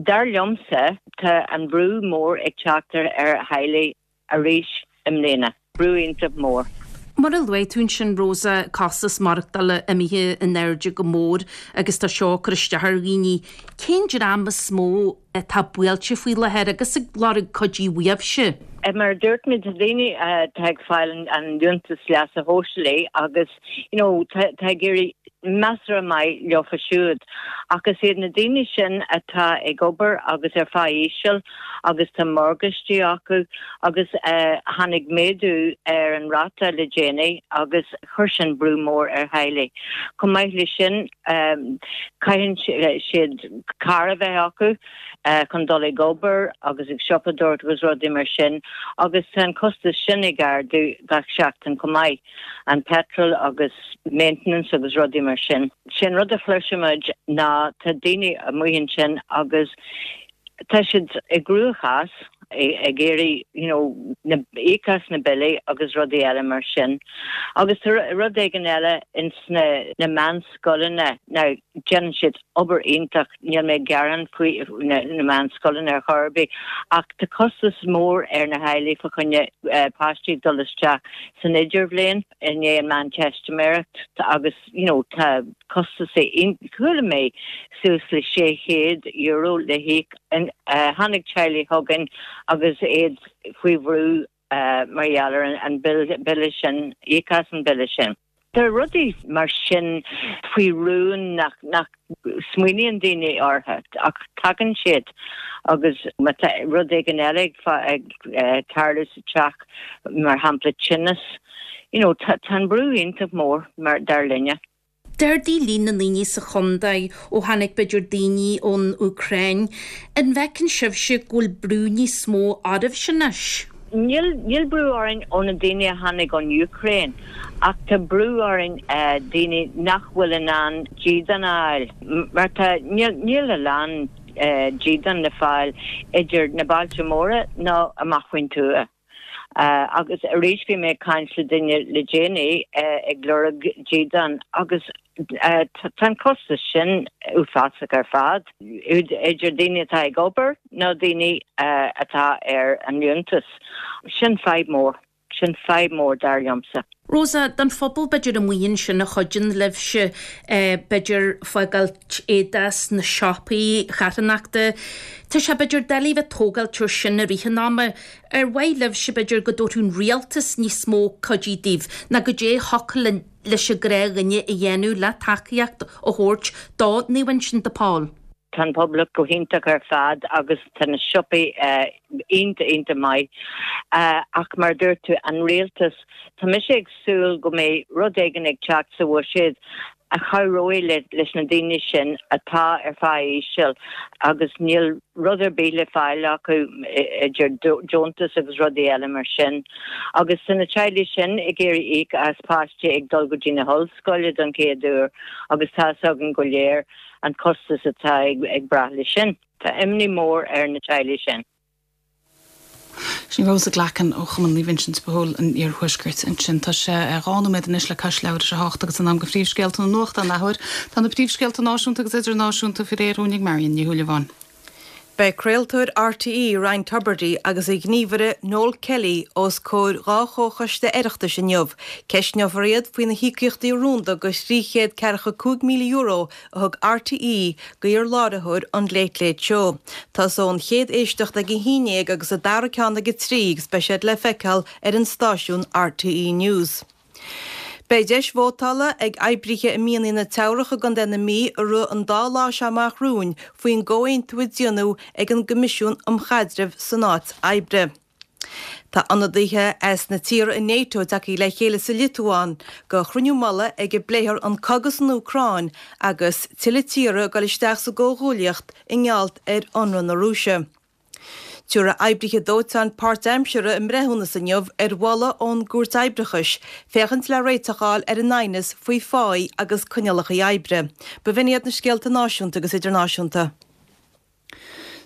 dar liomsa, tá an brú mór ag teacht ar theaghlaigh arís i mbliana. Brú iontach mór. Mar a luaigh tú ansin, Rosa, costas maireachtála imithe in airde go mór agus tá seo ag cur isteach ar dhaoine. Cén dream is mó atá buailte faoi láthair agus ag lorg cuidiú uaibhse? Mar a dúirt mé, tá daoine atá ag fáil an liúntas leasa shóisialaigh agus you know tá ag éirí measartha maith leofa siúd. Ach is iad na daoine sin atá ag obair agus ar phá íseal agus tá morgáistí acu agus tháinig méadú ar an ráta le déanaí agus chuir sin brú mór ar theaghlaigh. Chomh maith leis sin caitheann siad carr a bheith acu chun dul ag obair agus ag siopadóireacht agus rudaí mar sin agus tá an costas sin ag ardú gach seachtain chomh maith. an petrol agus maintenance agus rudaí mar sin. Sé an rud a chloisimid ná tá daoine amuigh ansin agus tá siad i gcruachás ag iarraidh you know na íoc as na billí agus rudaí eile mar sin. Agus tá rud éigin eile ins na na meánscoileanna, now déanann siad obair iontach, níl mé ag gearán faoi na meánscoileanna ar chor ar bith, ach tá costas mór ar na theaghlaigh fá choinne páistí ag dul isteach san idirbhliain i ndiaidh an Meánteistiméireacht agus you know tá costas chuala mé suas le €600 le híoc. Tháinig teaghlaigh chugainn agus iad faoi bhrú mar gheall ar an bille sin, íoc as an bille sin. Tá rudaí mar sin faoi rún nach nach smaoiníonn daoine orthu ach tagann siad agus má tá rud éigin eile ag tarlú sa teach, mar shampla tinneas, you know tá an brú iontach mór mar dar linne. D'ardaigh líon na ndaoine sa chontae ó tháinig b'fhéidir daoine ón Úcráin. An bhfeiceann sibhse go bhfuil brú níos mó oraibhse anois? Níl, níl brú orainn ó na daoine a tháinig ón Úcráin ach tá brú orainn daoine nach bhfuil in ann dídean a fháil mar tá, níl, níl a lán dídean le fáil idir na bailte móra nó amach faoin tuath. Agus arís bhí mé ag caint le duine le déanaí ag lorg dídean agus tá an costas sin uafásach ar fad, idir daoine atá ag obair nó daoine atá ar an liúntas. Sin fadhb mór. Sin fadhb mór dar liomsa. Rosa, don phobal b'fhéidir amuigh ansin a chuidíonn libhse, b'fhéidir fágáilt éadaigh sna siopaí charthanachta, tá sé b'fhéidir doiligh bheith tógáilt ar sin i rith an ama. Ar mhaith libhse b'fhéidir go dtabharfadh an rialtas níos mó cuidiú daoibh ná goidé a thiocfadh leis an ghnáthdhuine a dhéanamh le tacaíocht a thabhairt do Naomh Uinseann de Pól? Tá an pobal go hiontach ar fad agus tá na siopaí iontach, iontach maith. Ach mar a dúirt tú, an rialtas, tá mise ag súil go mbeidh rud éigin ag teacht sa bhuiséad a chabhróidh leis na daoine sin atá ar phá íseal agus níl rud ar bith le fáil acu idir deontas agus rudaí eile mar sin. Agus tá na teaghlaigh sin ag iarraidh íoc as páistí ag dul go dtí na hollscoile don chéad uair agus tá 'fhios againn go léir an costas atá ag brath leis sin. Tá imní mór ar na teaghlaigh sin. Sin Rosa Glackin ó Chumann Naomh Uinseann de Pól an Iarthuaiscirt ansin. Tá sé 2 nóiméad anois le cois leathuair tar éis a hocht agus in am do phríomhscéalta na nuachta an athuair. Tá na príomhscéalta náisiúnta agus idirnáisiúnta faoi réir dhúinn ag Marion Ní Shúilleabháin. Beidh craoltóir RTÉ Ryan Tubridy agus a ghníomhaire Noel Kelly os comhair 2 chomhchoiste Oireachtais inniu. Ceistneofar iad faoi na híocaíochtaí rúnda de €345,000 a thug RTÉ do iar-láithreoir an Late Late Show. Tosóidh an chéad éisteacht ag a haon dhéag agus an dara ceann ag a trí agus beidh siad le feiceáil ar an stáisiún RTÉ News. Beidh deis vótála ag oibrithe i mianaigh na Teamhrach i gContae na Mí i rith an dá lá seo amach romhainn faoin gcomhaontú a déanadh ag an gCoimisiún um Chaidreamh san Áit Oibre. Tá ionadaithe as na tíortha i NATO tagtha le chéile sa Liotuáin do chruinniú mullaigh ag a bpléifear an cogadh san Úcráin agus tuilleadh tíortha ag dul isteach sa gcomhghuaillíocht i ngeall ar ionradh na Rúise. Tabharfaidh oibrithe dóiteáin páirtaimseartha a mbreithiúnas inniu ar mholadh ón gCúirt Oibreachais féachaint le réiteach a fháil ar a n-aighneas faoi pháí agus coinníollacha oibre. B'in iad na scéalta náisiúnta agus idirnáisiúnta.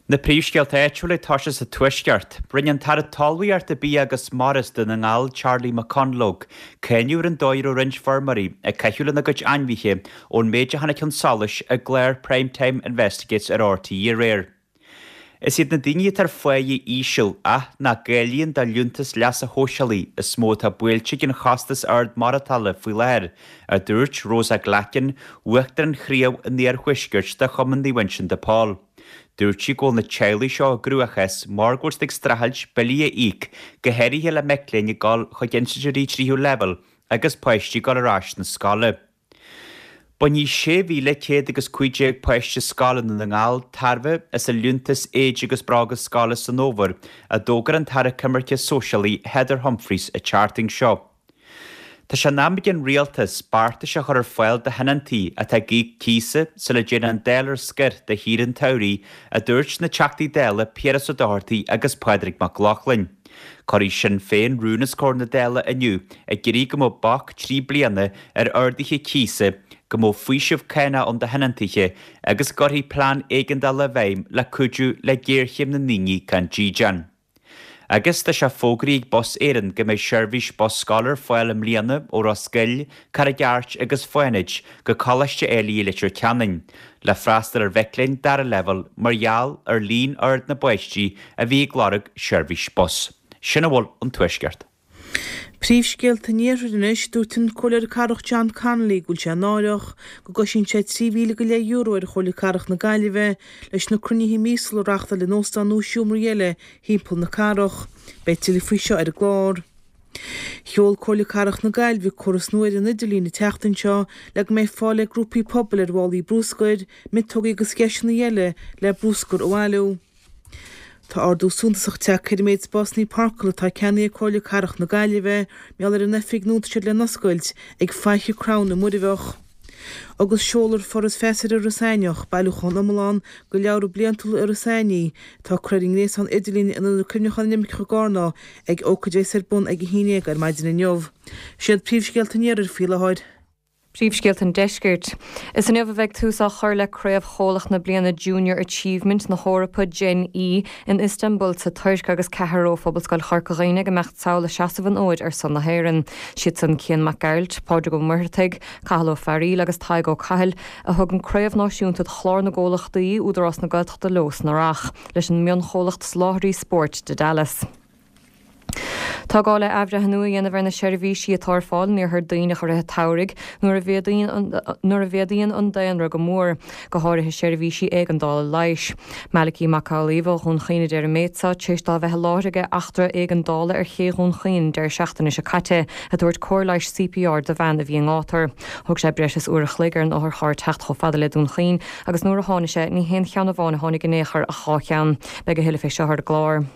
Na príomhscéalta áitiúla ag toiseacht sa Tuaisceart. Rinne an tAire Talmhaíochta, Bia agus Mara is Dún na nGall, Charlie McConalogue, cáineadh ar an dóigh a raibh roinnt feirmeoirí ag caitheamh lena gcuid ainmhithe ón méid a tháinig chun solais i gclár Prime Time Investigates ar RTÉ aréir. Is iad na daoine atá ar pháighe íseal ach nach gcáilíonn do liúntas leasa shóisialaigh is mó atá buailte ag an chostas ard maireachtála faoi láthair, a dúirt Rosa Glackin, Uachtarán Chraobh an Iarthuaiscirt de Chumann Naomh Uinseann de Pól. Dúirt sí go bhfuil na teaghlaigh seo i gcruachás mar go bhfuil siad ag streachailt billí a íoc, go háirithe le mic léinn ag dul chuig institiúidí tríú leibhéal agus páistí ag dul ar ais na scoile. Bainfidh 6,100 agus 15 páiste scoile i nDún na nGall tairbhe as a liúntas éide agus bróga scoile san fhómhar, a d'fhógair an tAire Coimirce Sóisialaí Heather Humphreys an tseachtain seo. Tá sé in am ag an Rialtas beartais a chur ar fáil do thionóntaí atá ag íoc cíosa sula dtéann an Dáil ar scor do shaoire an tsamhraidh, a dúirt na Teachtaí Dála Piaras Ó Dochartaigh agus Pádraig Mac Lochlainn. Cuirfidh Sinn Féin rún os comhair na Dála inniu ag iarraidh go mbeadh bac 3 bliana ar arduithe cíosa, go mbeadh faoiseamh cánach ann do thionóntaithe agus go gcuirfí plean éigeandála i bhfeidhm le cuidiú le géarchéim na ndaoine gan dídean. Agus tá sé fógraithe ag Bus Éireann go mbeidh seirbhís bus scoile ar fáil i mbliana ó Ros Goill, Carraig Airt agus Fánaid go Coláiste Ailigh i Leitir Ceanainn, le freastal ar mhic léinn dara leibhéal mar gheall ar líon ard na bpáistí a bhí ag lorg seirbhís bus. Sin a bhfuil ón Tuaisceart. Príomhscéalta an Iarthair anois, Dúirt an Comhairleoir Cathrach John Connolly go bhfuil sé náireach go gcoisíonn sé €3,000 go leith euro ar Chomhairle Cathrach na Gaillimhe leis na cruinnithe míosúla a reachtáil in óstáin nó seomraí eile thimpeall na cathrach. Beidh tuilleadh faoi seo ar an gclár. Sheol Comhairle Cathrach na Gaillimhe córas nua ar an idirlíon an tseachtain seo le go mbeidh fáil ag grúpaí pobail ar mhálaí bruscair, miotógaí agus dheiseanna eile le bruscar a bhailiú. Tá ardú suntasach tagtha ar an méid spásanna páirceála atá ceannaithe ag Comhairle Cathrach na Gaillimhe mar gheall ar an oifig nua atá siad le n-oscailt ag Faiche Crann i Muirbheach. Agus seolfar Foras Feasa ar Iorras Aithneach, bailiúchán iomlán de leabhra bliantúla Iorras Aithnigh, atá curtha ar an ngréasán idirlín in Ionad Cuimhneacháin na nImirceach i gCarna ag ócáid a bheas ar bun ag 11 ar maidin inniu. Siad príomhscéalta an Iarthair faoi láthair. Príomhscéalta an Deiscirt. Is inniu a bheidh tús á chur le Craobh Chomhlach na bliana Junior Achievement na hEorpa, Gen E, in Istanbul sa Tuirc agus ceathrar ó Phobalscoil Chorca Dhuibhne ag imeacht sall ag seasamh an fhóid ar son na hÉireann. Siadsan Cian Mac Gearailt, Pádraig Ó Muircheartaigh, Cathal Ó Fearaíl agus Tadhg Ó Cathail, a thug an Craobh Náisiúnta do Chlár na gComhlachtaí, Údarás na Gaeltachta leo san Earrach, leis an mionchomhlacht soláthraí spóirt Dedalus. Tá gá le athbhreithniú a dhéanamh ar na seirbhísí atá ar fáil in Iarthar Duibhneach i rith an tsamhraidh nuair a nuair a mhéadaíonn an daonra go mór, go háirithe seirbhísí éigeandála leighis. Malachy Mac Amhlaoibh ó Dhún Chaoin a deir an méid seo, tar éis dó bheith i láthair ag eachtra éigeandála ar ché Dhún Chaoin an deireadh seachtaine seo caite, ag tabhairt cóir leighis CPR do bhean a bhí i ngátar. Thóg sé breis is uair a chloig ar an otharcharr teacht chomh fada le Dún Chaoin agus nuair a tháinig sé, ní haon cheann amháin a tháinig in aon chor ach dhá cheann. Beidh a thuilleadh fé seo ar an gclár.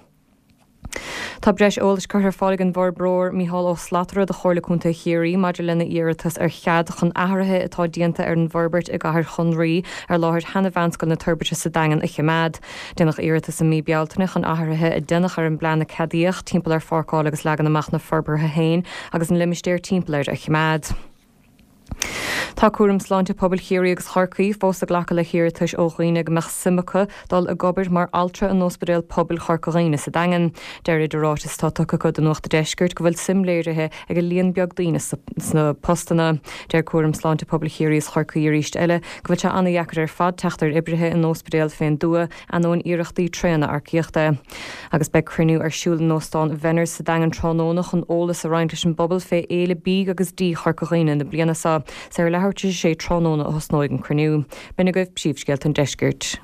Tá breis eolais curtha ar fáil ag an bhforbróir Mícheál Ó Slatara do Chomhairle Contae Chiarraí maidir lena iarratas ar chead chun athruithe atá déanta ar an bhforbairt i gCathair Chonraí ar láthair sheana-Mheánscoil na Toirbhirte sa Daingean a choimeád. Déanadh iarratas i mí Bealtaine chun athruithe a deineadh ar an bplean a ceadaíodh timpeall ar pháirceáil agus leagan amach na forbartha féin agus an limistéar timpeall air a choimeád. Tá Cúram Sláinte Pobail Chiarraí agus Chorcaí fós ag glacadh le hiarratais ó dhaoine go mbeadh suim acu dul ag obair mar altra in Ospidéal Pobail Chorca Dhuibhne sa Daingean. Deirid i ráiteas atá tugtha acu do Nuacht a' Deiscirt go bhfuil suim léirithe ag líon beag daoine sna postanna. Deir Cúram Sláinte Pobail Chiarraí is Chorcaí arís eile go bhfuil sé ana-dheacair ar fad teacht ar oibrithe in ospidéal fén dtuath ainneoin iarrachtaí tréana earcaíochta. Agus beidh cruinniú ar siúl in Óstán Bhenners sa Daingean tráthnóna chun eolas a roinnt leis an bpobal fé Fhéile Bídh agus Dí Chorca Dhuibhne na bliana seo. Is ar leathuair tar éis a sé tráthnóna a thosnóidh an cruinniú. B'in agaibh príomhscéalta an deiscirt.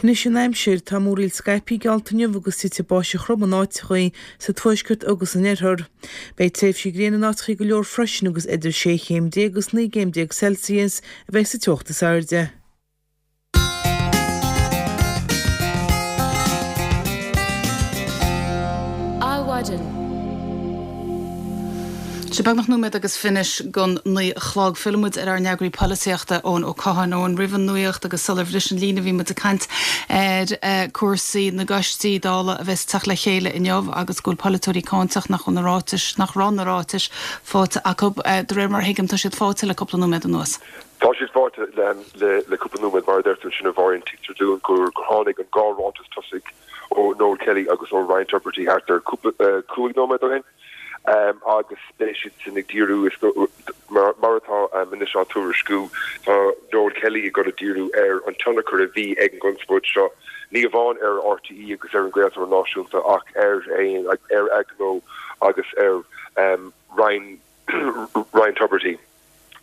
Anois an aimsir, tá múraíl scaipthe geallta inniu agus titfidh báisteach throm in áiteachaí sa tuaisceart agus san oirthear. Beidh tréimhsí gréine in áiteachaí go leor freisin agus idir 16 chéim agus 19 gcéim Celsius a bheidh sa teocht is airde. Adhmhaidin. Sé beagnach nóiméad agus finis gon 9 a chlog. Fillfidh muid ar ár n-eagraí polaitíochta, Eoin Ó Catháin. Eoin, roimh an nuaíocht agus sular bhris an líne bhí muid ag caint ar cúrsaí na gcoistí Dála a bheas ag teacht le chéile inniu agus go bhfuil polaiteoirí cáinteach nach bhfuil na ráitis, nach raibh na ráitis faighte acu. De réir mar a thuigim tá siad faighte le cúpla nóiméad anuas. Tá siad faighte le cúpla nóiméad, mar a deir tú ansin, a Mháirín. Tuigtear dúinn gur tháinig an dhá ráiteas tosaigh ó Noel Kelly agus ó Ryan Tubridy thart ar cúig nóiméad ó shin. Agus beidh siad sin ag díriú, mar atá anois á tuairisciú, tá Noel Kelly ag dul a díriú ar an tionchar a bhí ag an gconspóid seo, ní amháin ar RTÉ agus ar an gcraoltóir náisiúnta ach ar ar a ghnó agus ar Ryan Ryan Tubridy.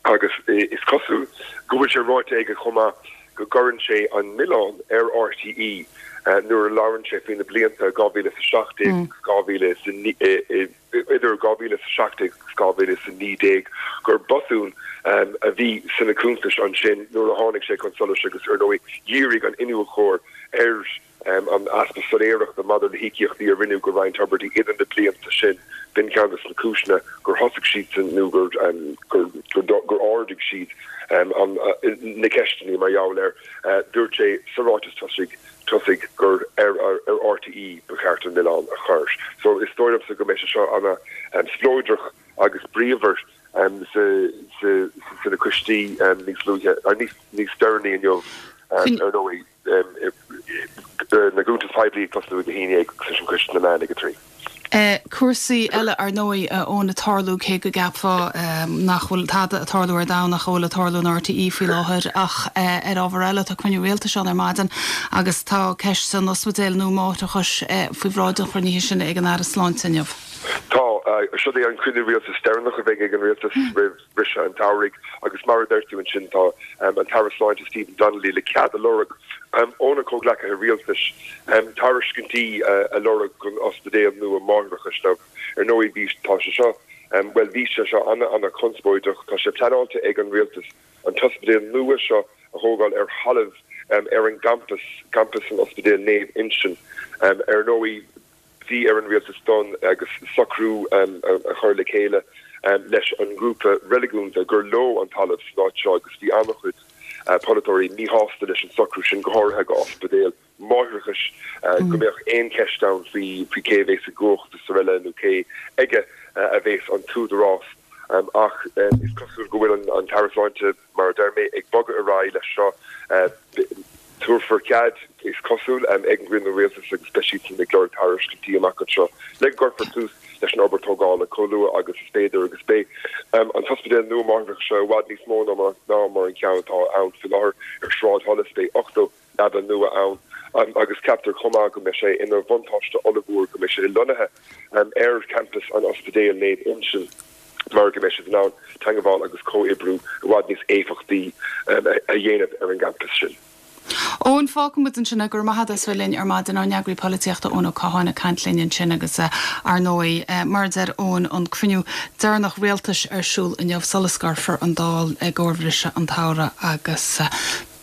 Agus is cosúil go bhfuil sé ráite aige chomh maith go gcuireann sé an milleán ar RTÉ nuair a labhrann sé faoi na blianta 2017 agus idir 2017 agus 2019 gur botún a bhí sna cuntais ansin nuair a tháinig sé chun solais agus ar ndóigh dhírigh an iniúchóir ar an easpa soiléireachta maidir le híocaíochtaí a rinneadh go Ryan Tubridy idir na blianta sin. B'in ceann de na cúiseanna gur thosaigh siadsan nó gur gur ardaigh siad na ceisteanna mar gheall air. Dúirt sé sa ráiteas tosaigh tosaigh gur ar RTÉ ba cheart an milleán a chur. So is dóigh liomsa go mbeidh sé seo ana spleodrach agus bríomhar sna coistí níos luaithe, níos deireanaí inniu ar ndóigh. na gcuntas poiblí ag tosnú ag 11 agus an Coiste na Meán ag 3. Cúrsaí eile ar ndóigh a Eoin ag tarlú cé go gceapfá nach bhfuil tada ag tarlú ar domhan ach a bhfuil ag tarlú in RTÉ faoi láthair ach ar ábhar eile tá cruinniú rialtais ann ar maidin agus tá ceist an ospidéil nua máithreachais faoi bhráid an chruinnithe sin ag an Aire Sláinte inniu. Tá. Seo é an cruinniú rialtais deireanach a bheidh ag an rialtas roimh bhriseadh an tsamhraidh agus mar a deir tú ansin tá an tAire Sláinte Stephen Donnelly le cead a lorg óna chomhghleacaithe rialtais tairiscintí a lorg don ospidéal nua máithreachais. Now ar ndóigh bhí, tá sé seo, bhuel bhí sé seo ana-ana-chonspóideach. Tá sé pleanáilte ag an rialtas an t-ospidéal nua seo a thógáil ar thalamh ar an gcampas, campas an Ospidéil Naomh Uinseann. Ar ndóigh. Bhí ar an rialtas dul agus socrú a chur le chéile leis an ngrúpa reiligiúnda gur leo an talamh san áit seo agus bhí an-chuid polaiteoirí míshásta leis an socrú sin, go háirithe go ospidéal máithreachais, go mbeadh aon cheist ann faoi cé a bhéas i gcumhacht is araile nó cé aige a bhéas an t-údarás. Ach is cosúil go bhfuil an tAire Sláinte, Mar a deir mé, ag bogadh ar aghaidh leis seo, tabharfar cead, is cosúil, ag an gcruinniú rialtais agus beidh siadsan ag lorg tairiscintí amach anseo le go gcuirfear tús leis an obair tógála chomh luath agus is féidir agus beidh an t-ospidéal nua máithreachais seo i bhfad níos mó ná mar an ceann atá ann faoi láthair ar Shráid Holles. Beidh 80 leaba nua ann agus ceaptar chomh maith go mbeidh sé ina bhuntáiste ollmhór go mbeidh sé lonnaithe ar champas an Ospidéil Naomh Uinseann mar go mbeidh siad in ann teagmháil agus comhoibriú i bhfad níos éifeachtaí a dhéanamh ar an gcampas sin. Eoin, fágfaidh muid ansin é. Go raibh maith agat as bheith linn ar maidin. Ár n-eagraí polaitíochta Eoin Ó Catháin ag caint linn ansin agus ar ndóigh, mar a deir Eoin, an cruinniú deireanach rialtais ar siúl inniu sula scoirfear an Dáil i gcomhair bhriseadh an tsamhraidh agus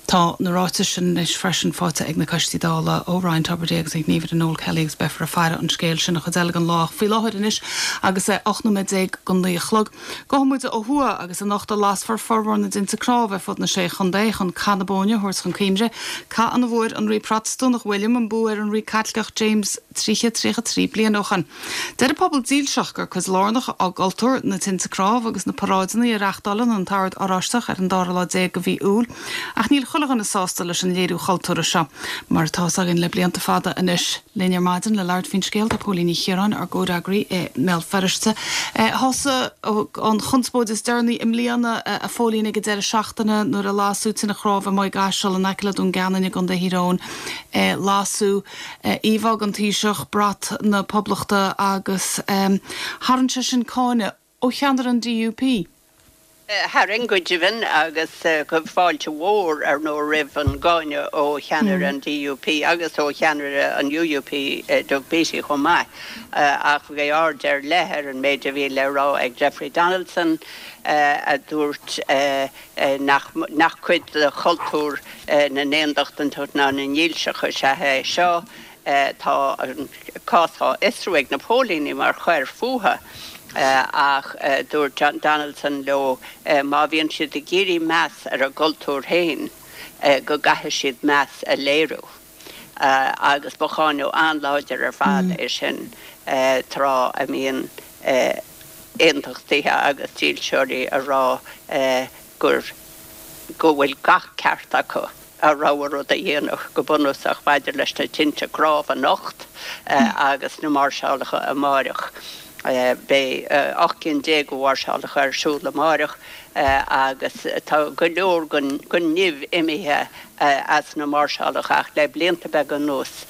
Tá na ráitis sin anois freisin faighte ag na coistí Dála ó Ryan Tubridy agus an gníomhaire Noel Kelly agus beifear ag faire an scéil sin an chuid eile den lá. Ach faoi láthair anois agus é 18 nóiméad go naoi a chlog, gabhfaidh muid ó thuaidh agus anocht a lasfar formhór na dtinte cnámh ar fud na Sé Chontae chun Cath na Bóinne a thabhairt chun cuimhne, cath ina bhfuair an Rí Protastúnach William an bua ar an Rí Caitliceach James 33 bliain ó shin. Deir an pobal dílseach gur cuid lárnach á gcultúr na tinte cnámh agus na paráideanna a reachtálann an tOrd Oráisteach ar an dara lá déag de mhí Iúil. Ach níl chuile dhuine sásta leis an léiriú chultúrtha seo, mar atá fhios againn le blianta fada anois. Linn ar maidin le labhairt faoin scéal tá Póilín Ní Chiaráin, ár gcomhfhreagraí i mBéal Feirste. Thosaigh an chonspóid is deireanaí i mbliana, a Phóilín, ag an deireadh seachtaine nuair a lasadh tine chnámh i Maigh gCaiseal in aice le Dún Geanainn i gContae Thír Eoghain. Lasadh íomhá den Taoiseach, brat na Poblachta agus tharraing sé sin cáineadh ó cheannaire an DUP. Tharraing go deimhin agus fáilte mhór ar ndóigh roimh an gcáineadh ó cheannaire an DUP agus ó cheannaire an UUP, Doug Beattie chomh maith. Ach bhí aird ar leith ar an méid a bhí le rá ag Jeffrey Donaldson a dúirt nach cuid de chultúr na n-aondachtach ná na ndílseach is ea é seo. Tá an cás á fhiosrú ag na póilíní mar choir fuatha ach dúirt Donaldson leo má bhíonn siad ag iarraidh meas ar a gcultúr féin go gcaithfidh siad meas a léiriú. Agus ba cháineadh an-láidir ar fad é sin tráth a mbíonn aontachtaithe agus dílseoirí ag rá gur go bhfuil gach ceart acu a rogha rud a dhéanamh go bunúsach maidir leis na tinte cnámh anocht agus na máirseálacha amáireach. Beidh 18 cinn de mháirseálacha ar siúl amáireach agus tá go leor den nimh imithe as na máirseálacha ach le blianta beaga anuas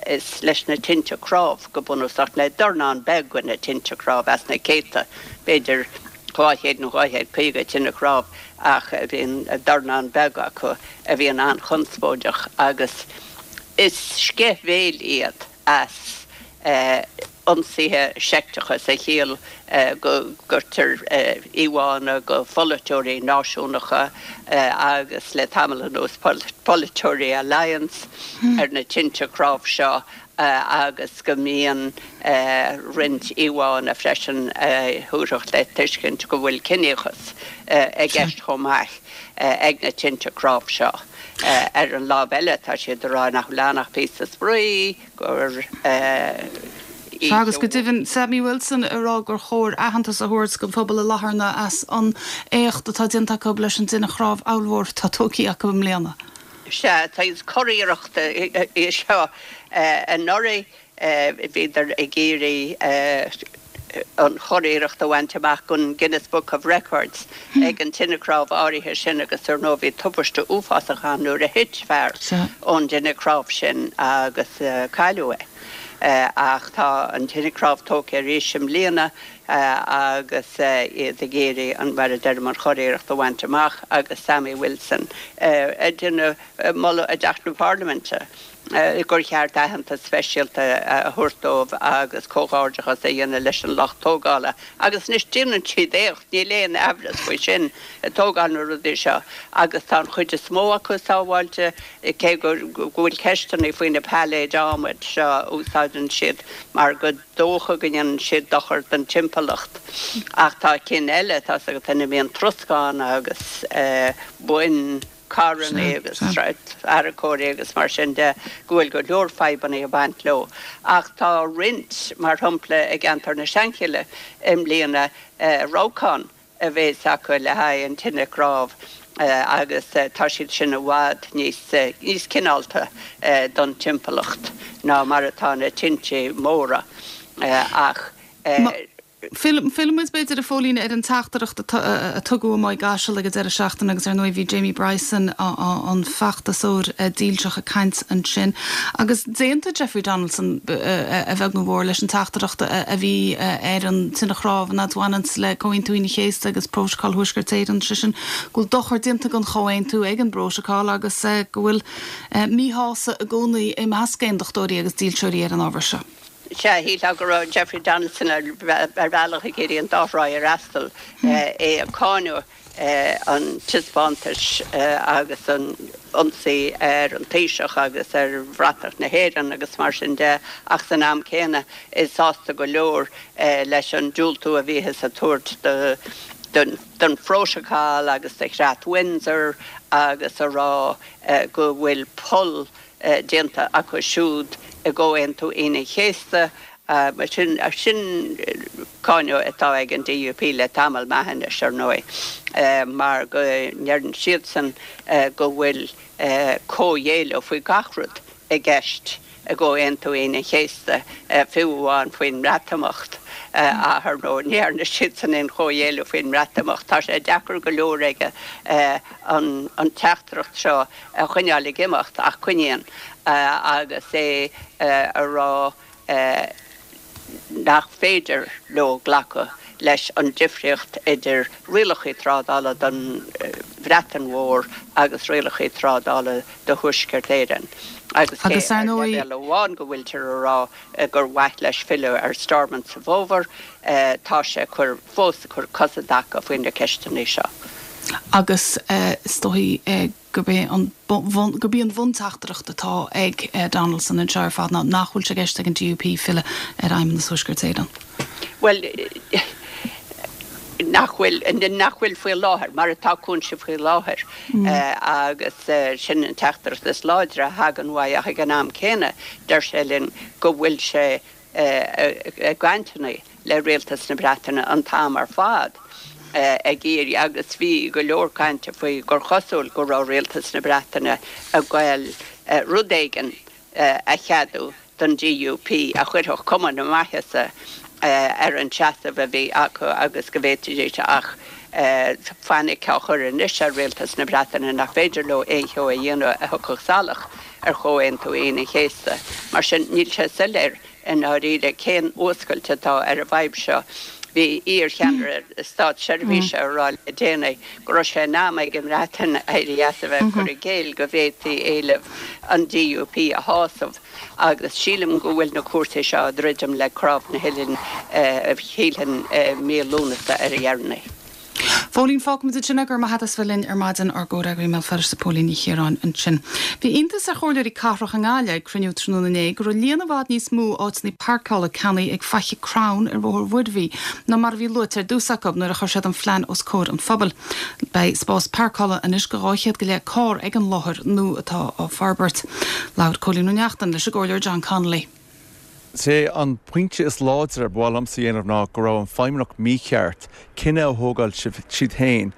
is leis na tinte cnámh go bunúsach, le dornán beag de na tinte cnámh as na céadta, b'fhéidir 200 nó 250 tine chnámh ach bíonn dornán beag acu a bhíonn an-chonspóideach agus is sceith bhéil iad as ionsaithe seicteacha sa chiall go gcuirtear íomhánna de pholaiteoirí náisiúnacha agus le tamall anuas polaiteoirí Alliance ar na tinte cnámh seo agus go mbíonn roinnt íomhánna freisin a thabharfadh le tuiscint go bhfuil ciníochas i gceist chomh maith ag na tinte cnámh seo. Ar an lámh eile, tá siad ag rá nach bhfuil ann ach píosa spraoi, gur Sea, agus go deimhin, Sammy Wilson ag rá gur chóir aitheantas a thabhairt don phobal i Latharna as an éacht atá déanta acu leis an dtine chnámh ollmhór atá tógtha acu i mbliana. Sea, saghas curiarracht í seo. Anuraidh bhíodar ag iarraidh an churiarracht a bhaint amach don Guinness Book of Records ag an tine chnámh áirithe sin agus ar ndóigh bhí tubaiste uafásach ann nuair a thit fear ón dtine chnámh sin agus cailleadh é. Ach tá an tine chnámh tógtha arís i mbliana agus iad ag iarraidh an, mar a deirim, an churiarracht a bhaint amach agus Sammy Wilson ag déanamh moladh i dTeach na Parlaiminte gur cheart aitheantas speisialta a thabhairt dóibh agus comhghairdeachas a dhéanamh leis an lucht tógála. Agus anois déanann siad éacht, níl aon aimhreas faoi sin, ag tógáil na rudaí seo agus tá an chuid is mó acu sábháilte, cé go bhfuil ceisteanna faoi na pailléid adhmaid seo a úsáideann siad mar go dócha go ndéanann siad dochar don timpeallacht. Ach tá cinn eile, tá's agat, ina mbíonn troscán agus boinn carranna agus tarracóirí agus mar sin de, go bhfuil go leor fadhbanna ag baint leo. Ach tá roinnt, mar shampla i gceantar na Seanchille i mbliana, rabhcán a bhéas acu le haghaidh an tine chnámh agus tá siad sin i bhfad níos níos cineálta don timpeallacht ná mar atá na tinte móra. Ach. Fillfidh muid, b'fhéidir, a Phóilín, ar an teachtaireacht a tugadh amuigh i gCaiseal ag an deireadh seachtaine agus ar ndóigh bhí Jamie Bryson, an feachtasóir dílseach ag caint ansin. Agus d'aontaigh Jeffrey Donaldson, a bheag nó a mhór, leis an teachtaireacht a bhí ar an tine chnámh an fhad a bhaineanns le Comhaontú Aoine an Chéasta agus Prótacal Thuaisceart Éireann, sé sin go bhfuil dochar déanta don chomhaontú ag an bprótacal agus go bhfuil míshásamh i gcónaí i measc aondachtóirí agus dílseoirí ar an ábhar seo. Sea, shílfeá go raibh Jeffrey Donaldson ar bhealach ag iarraidh an dá thráigh a fhreastal, é ag cáineadh an taispeántais agus an ionsaí ar an Taoiseach agus ar bhratach na hÉireann agus mar sin de, ach san am céanna é sásta go leor leis an diúltú a bhíothas ag tabhairt don phrótacal agus do Chreat Windsor agus a rá go bhfuil poll déanta acu siúd i gComhaontú Aoine an Chéasta. Sin cáineadh atá ag an DUP le tamall maith anois, ar ndóigh, mar go ndeireann siadsan go bhfuil comhghéilleadh faoi gach rud i gceist i gComhaontú Aoine an Chéasta, fiú amháin faoin mBreatimeacht. Ach, ar ndóigh, ní dhearna siadsan aon chomhghéilleadh faoin mBreatimeacht. Tá sé deacair go leor aige an teachtaireacht seo a choinneáil ag imeacht ach coinníonn agus é a rá nach féidir leo glacadh leis an difríocht idir rialacha trádála don Bhreatain Mhór agus rialacha trádála do Thuaisceart Éireann. Agus cé ar leibhéal amháin go bhfuiltear a rá gur mhaith leis filleadh ar Stormont sa bhfómhar, tá sé ag cur fós ag cur cos i dtaca faoi na ceisteanna seo. Agus is dóigh gurb é an gurb í an bhunteachtaireacht atá ag Donaldson anseo ar fad ná nach bhfuil sé i gceist ag an DUP filleadh ar Fheidhmeannas Thuaisceart Éireann. Bhuel, nach bhfuil, nach bhfuil faoi láthair, mar atá cúinsí faoi láthair agus sin an teachtaireacht is láidre a thagann uaidh ach ag an am céanna deir sé linn go bhfuil sé i gcainteanna le Rialtas na Breataine an t-am ar fad ag iarraidh agus bhí go leor cainte faoi gur chosúil go raibh Rialtas na Breataine ag goil rud éigin a cheadú don DUP a chuirfeadh cuma na maitheasa. Ar an seasamh a bhí acu agus go bhféadfaidís ach fainic á chur anois ar Rialtas na Breataine nach féidir leo aon cheo a dhéanamh a thiocfadh salach ar Chomhaontú Aoine an Chéasta. Mar sin, níl sé soiléir i ndáiríre cén fhuascailt atá ar an bhfadhb seo. Bhí iar-cheannaire státseirbhíse ag rá le déanaí go raibh sé in am ag an mBreatain éirí as a bheith ag cur i gcéill go bhféadfaí éileamh an DUP a shásamh. Agus sílim go bhfuil na cúrsaí seo ag druidim le cnámh na huillinne, shílfinn, mí Lúnasa ar a dheireanaí. Phóilín, Fágfaimid ansin é, go raibh maith agat as bheith linn ar maidin, ár gcomhfhreagraí i mBéal Feirste Póilín Ní Chiaráin ansin. Bhí iontas ar chomhairleoirí cathrach i nGaillimh ag cruinniú tráthnóna inné go raibh líon i bhfad níos mó áiteanna páirceála ceannaithe ag Faiche Crann ar Bhóthar Mhuirbhigh ná mar a bhí luaite ar dtús acu nuair a chuir siad an phlean os comhair an phobail. Beidh spás páirceála anois do 200 go leith carr ag an láthair nua atá á forbairt. Labhair Cóilín Ó Neachtain leis an gComhairleoir John Connolly. Is é an pointe is láidre ba mhaith liomsa a dhéanamh ná go raibh an Feidhmeannacht mícheart cinneadh a thógáil siad féin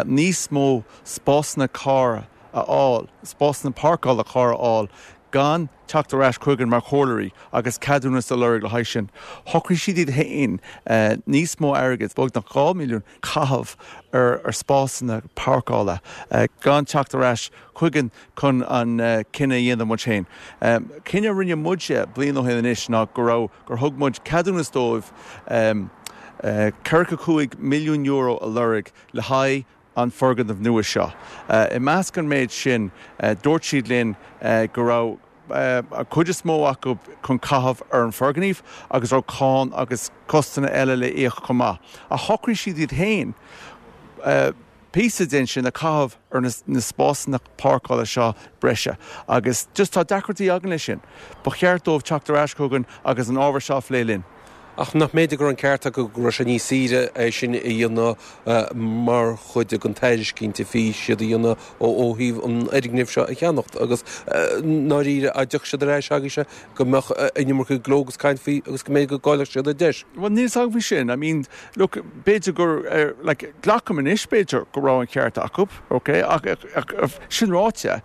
níos mó spásanna carr a fháil, spásanna páirceála carr a fháil gan teacht ar ais chugainn mar chomhairleoirí agus ceadúnas a lorg le haghaidh sin. Shocraigh siad iad féin níos mó airgid, beagnach 2 mhilliún, caitheamh ar spásanna páirceála gan teacht ar ais chugainn chun an cinneadh a dhéanamh muid féin. Cinneadh a rinne muide bliain ó shin anois ná go raibh, gur thug muid ceadúnas dóibh €45 milliún a lorg le haghaidh an foirgneamh nua seo. I measc an méid sin, dúirt siad linn go raibh an chuid is mó acu chun caitheamh ar an foirgneamh agus raibh cáin agus costanna eile le íoc chomh maith. Ach shocraigh siad iad féin píosa den sin a chaitheamh ar na spásanna páirceála seo breise agus just tá deacrachtaí againn leis sin. Ba cheart dóibh teacht ar ais chugainn agus an ábhar seo a phlé linn. Ach nach mb'fhéidir go raibh an ceart acu go raibh sé níos saoire é sin a dhéanamh mar chuid den tairiscint a bhí siad a dhéanamh ó thaobh an fhoirgnimh seo a cheannacht agus ndáiríre dá dtiocfadh siad ar ais agaibhse go mbeadh an iomarca gleo agus caint faoi agus go mb'fhéidir go gcaillfeadh siad an deis. Bhuel níl 's agam faoi sin. I mean look b'fhéidir gur like glacaim anois b'fhéidir go raibh an ceart acu ok ach sin ráite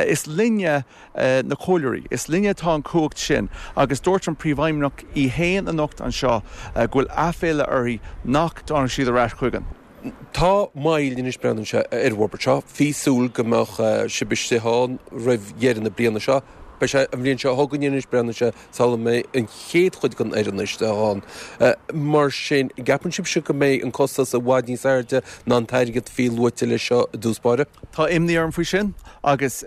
is linne na comhairleoirí. Is linne atá an chumhacht sin agus dúirt an Príomhfheidhmeannach í fhéin anocht anseo go bhfuil aiféala uirthi nach dtáinig siad ar ais chugainn. Tá moill anois breathnaíonn sé ar an bhforbairt seo. Bhí súil go mbeadh sibh istigh ann roimh dheireadh na bliana seo. Beidh sé an bhliain seo chugainn anois breathnaíonn sé sula mbeidh an chéad chuid den fhoireann istigh ann. Mar sin, gceapann sibhse go mbeidh an costas i bhfad níos airde ná an t-airgead a bhí luaite leis seo i dtús báire? Tá imní orm faoi sin agus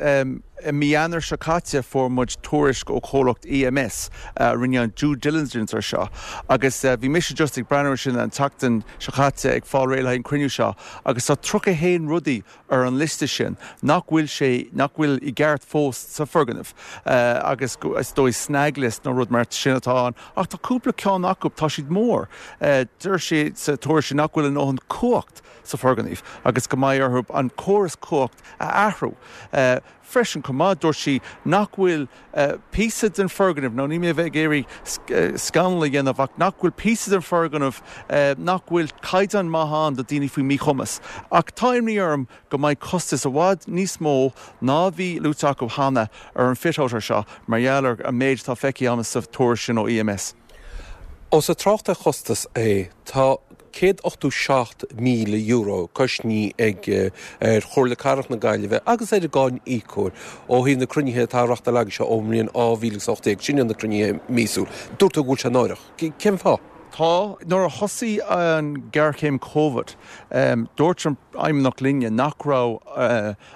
i mí Eanáir seo caite fuair muid tuairisc ó chomhlacht EMS a rinne an due diligence ar seo agus bhí mise just ag breathnú ar sin an tseachtain seo caite ag fáil réidh le haghaidh an cruinniú seo agus tá 31 rudaí ar an liosta sin nach bhfuil sé nach bhfuil i gceart fós sa foirgneamh agus is dóigh snag list nó rud mar sin atá ann ach tá cúpla ceann acu tá siad mór. Deir sé sa tuairisc sin nach bhfuil a ndóthain cumhacht sa foirgneamh agus go mbeidh orthu an córas cumhacht a athrú freisin chomh maith. Dúirt sí nach bhfuil píosa den foirgneamh, nó níl mé a bheith ag iarraidh scannal a dhéanamh, ach nach bhfuil píosa den foirgneamh, nach bhfuil caighdeán maith ann do daoine faoi mhíchumas. Ach tá imní orm go mbeidh costas i bhfad níos mó ná a bhí luaite acu cheana ar an fit-out ar seo mar gheall ar an méid atá feicthe agam sa tuairisc sin ó EMS. Ós ag trácht ar chostas é, tá €187,000 coisnithe ag ar Chomhairle Cathrach na Gaillimhe agus ar an gcáiníocóir ó thaobh na cruinnithe atá á reachtáil agaibhse ón mbliain 2018, sin iad na cruinnithe míosúil. Dúirt tú go bhfuil sé náireach. Cén fáth? Tá. Nuair a thosaigh an ghéarchéim Covid, dúirt an Fheidhmeannacht linne nach raibh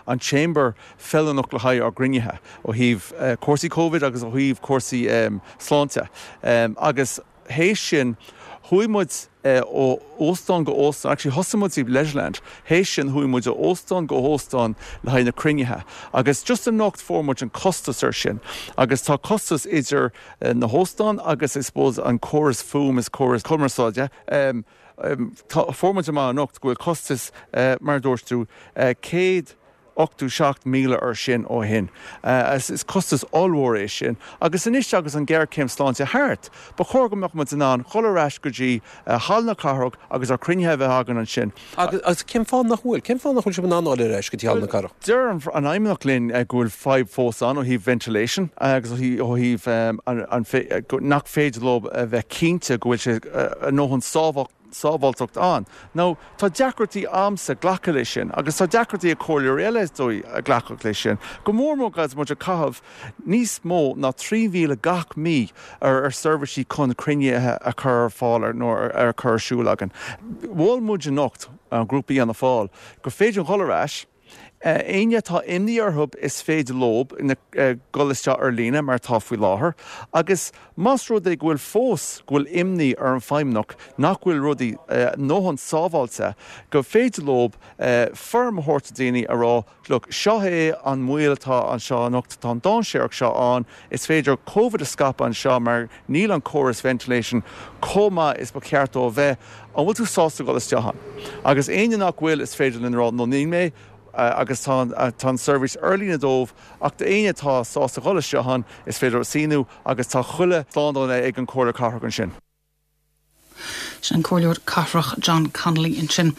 an Chamber feiliúnach le haghaidh ár gcruinnithe ó thaobh cúrsaí Covid agus ó thaobh cúrsaí sláinte agus théis sin chuaigh muid ó óstán go óstán, actually thosaigh muid i Leisureland, théis sin chuaigh muid ó óstán go hóstán le haghaidh na cruinnithe agus just anocht fuair muid an costas ar sin agus tá costas idir na hóstáin agus I suppose an córas fuaim is córas cumarsáide, tá, fuair muid amach anocht go bhfuil costas mar a dúirt tú, 100. 87,000 air sin ó shin. Is costas ollmhór é sin. Agus anois agus an ghéarchéim sláinte thart, ba chóir go mbeadh muid in ann dhul ar ais go dtí Halla na Cathrach agus ár cruinnithe a bheith againn ansin. Agus cén fáth nach bhfuil? Cén fáth nach bhfuil sibh in ann dul ar ais go dtí Halla na Cathrach? Deir an Fheidhmeannacht linn go bhfuil fadhb fós ann ó thaobh ventilation agus ó thaobh nach féidir leo a bheith cinnte go bhfuil sé a ndóthain sábháilteacht ann. Now, tá deacrachtaí a'msa glacadh leis sin agus tá deacrachtaí ag comhairleoirí eile is dóigh a glacadh leis sin, go mór mór agus muid ag caitheamh níos mó ná 3,000 gach mí ar seirbhísí chun cruinnithe a chur ar fáil nó ar chur ar siúl againn. Mhol muid anocht, an grúpa Fhianna Fáil, gur féidir dhul ar ais, Éinne atá imní orthu is féidir leo dul isteach ar líne mar atá faoi láthair agus más rud é go bhfuil fós go bhfuil imní ar an Feidhmeannacht nach bhfuil rudaí a ndóthain sábháilte go féidir leo foirm a thabhairt do daoine a rá look seo é an mbaol atá anseo anocht tá an dainséarach seo ann is féidir Covid a scaipeadh anseo mar Níl an córas ventilation chomh maith is ba cheart dó a bheith. An bhfuil tú sásta dul isteach ann? Agus éinne nach bhfuil, is féidir linn a rá, no níl mé, agus tá an seirbhís ar líne dóibh, ach d'éinne atá sásta dhul isteach ann, is féidir leo síniú agus tá chuile slándáil ag an Chomhairle Cathrach ansin. Sin an Comhairleoir Cathrach John Connolly ansin.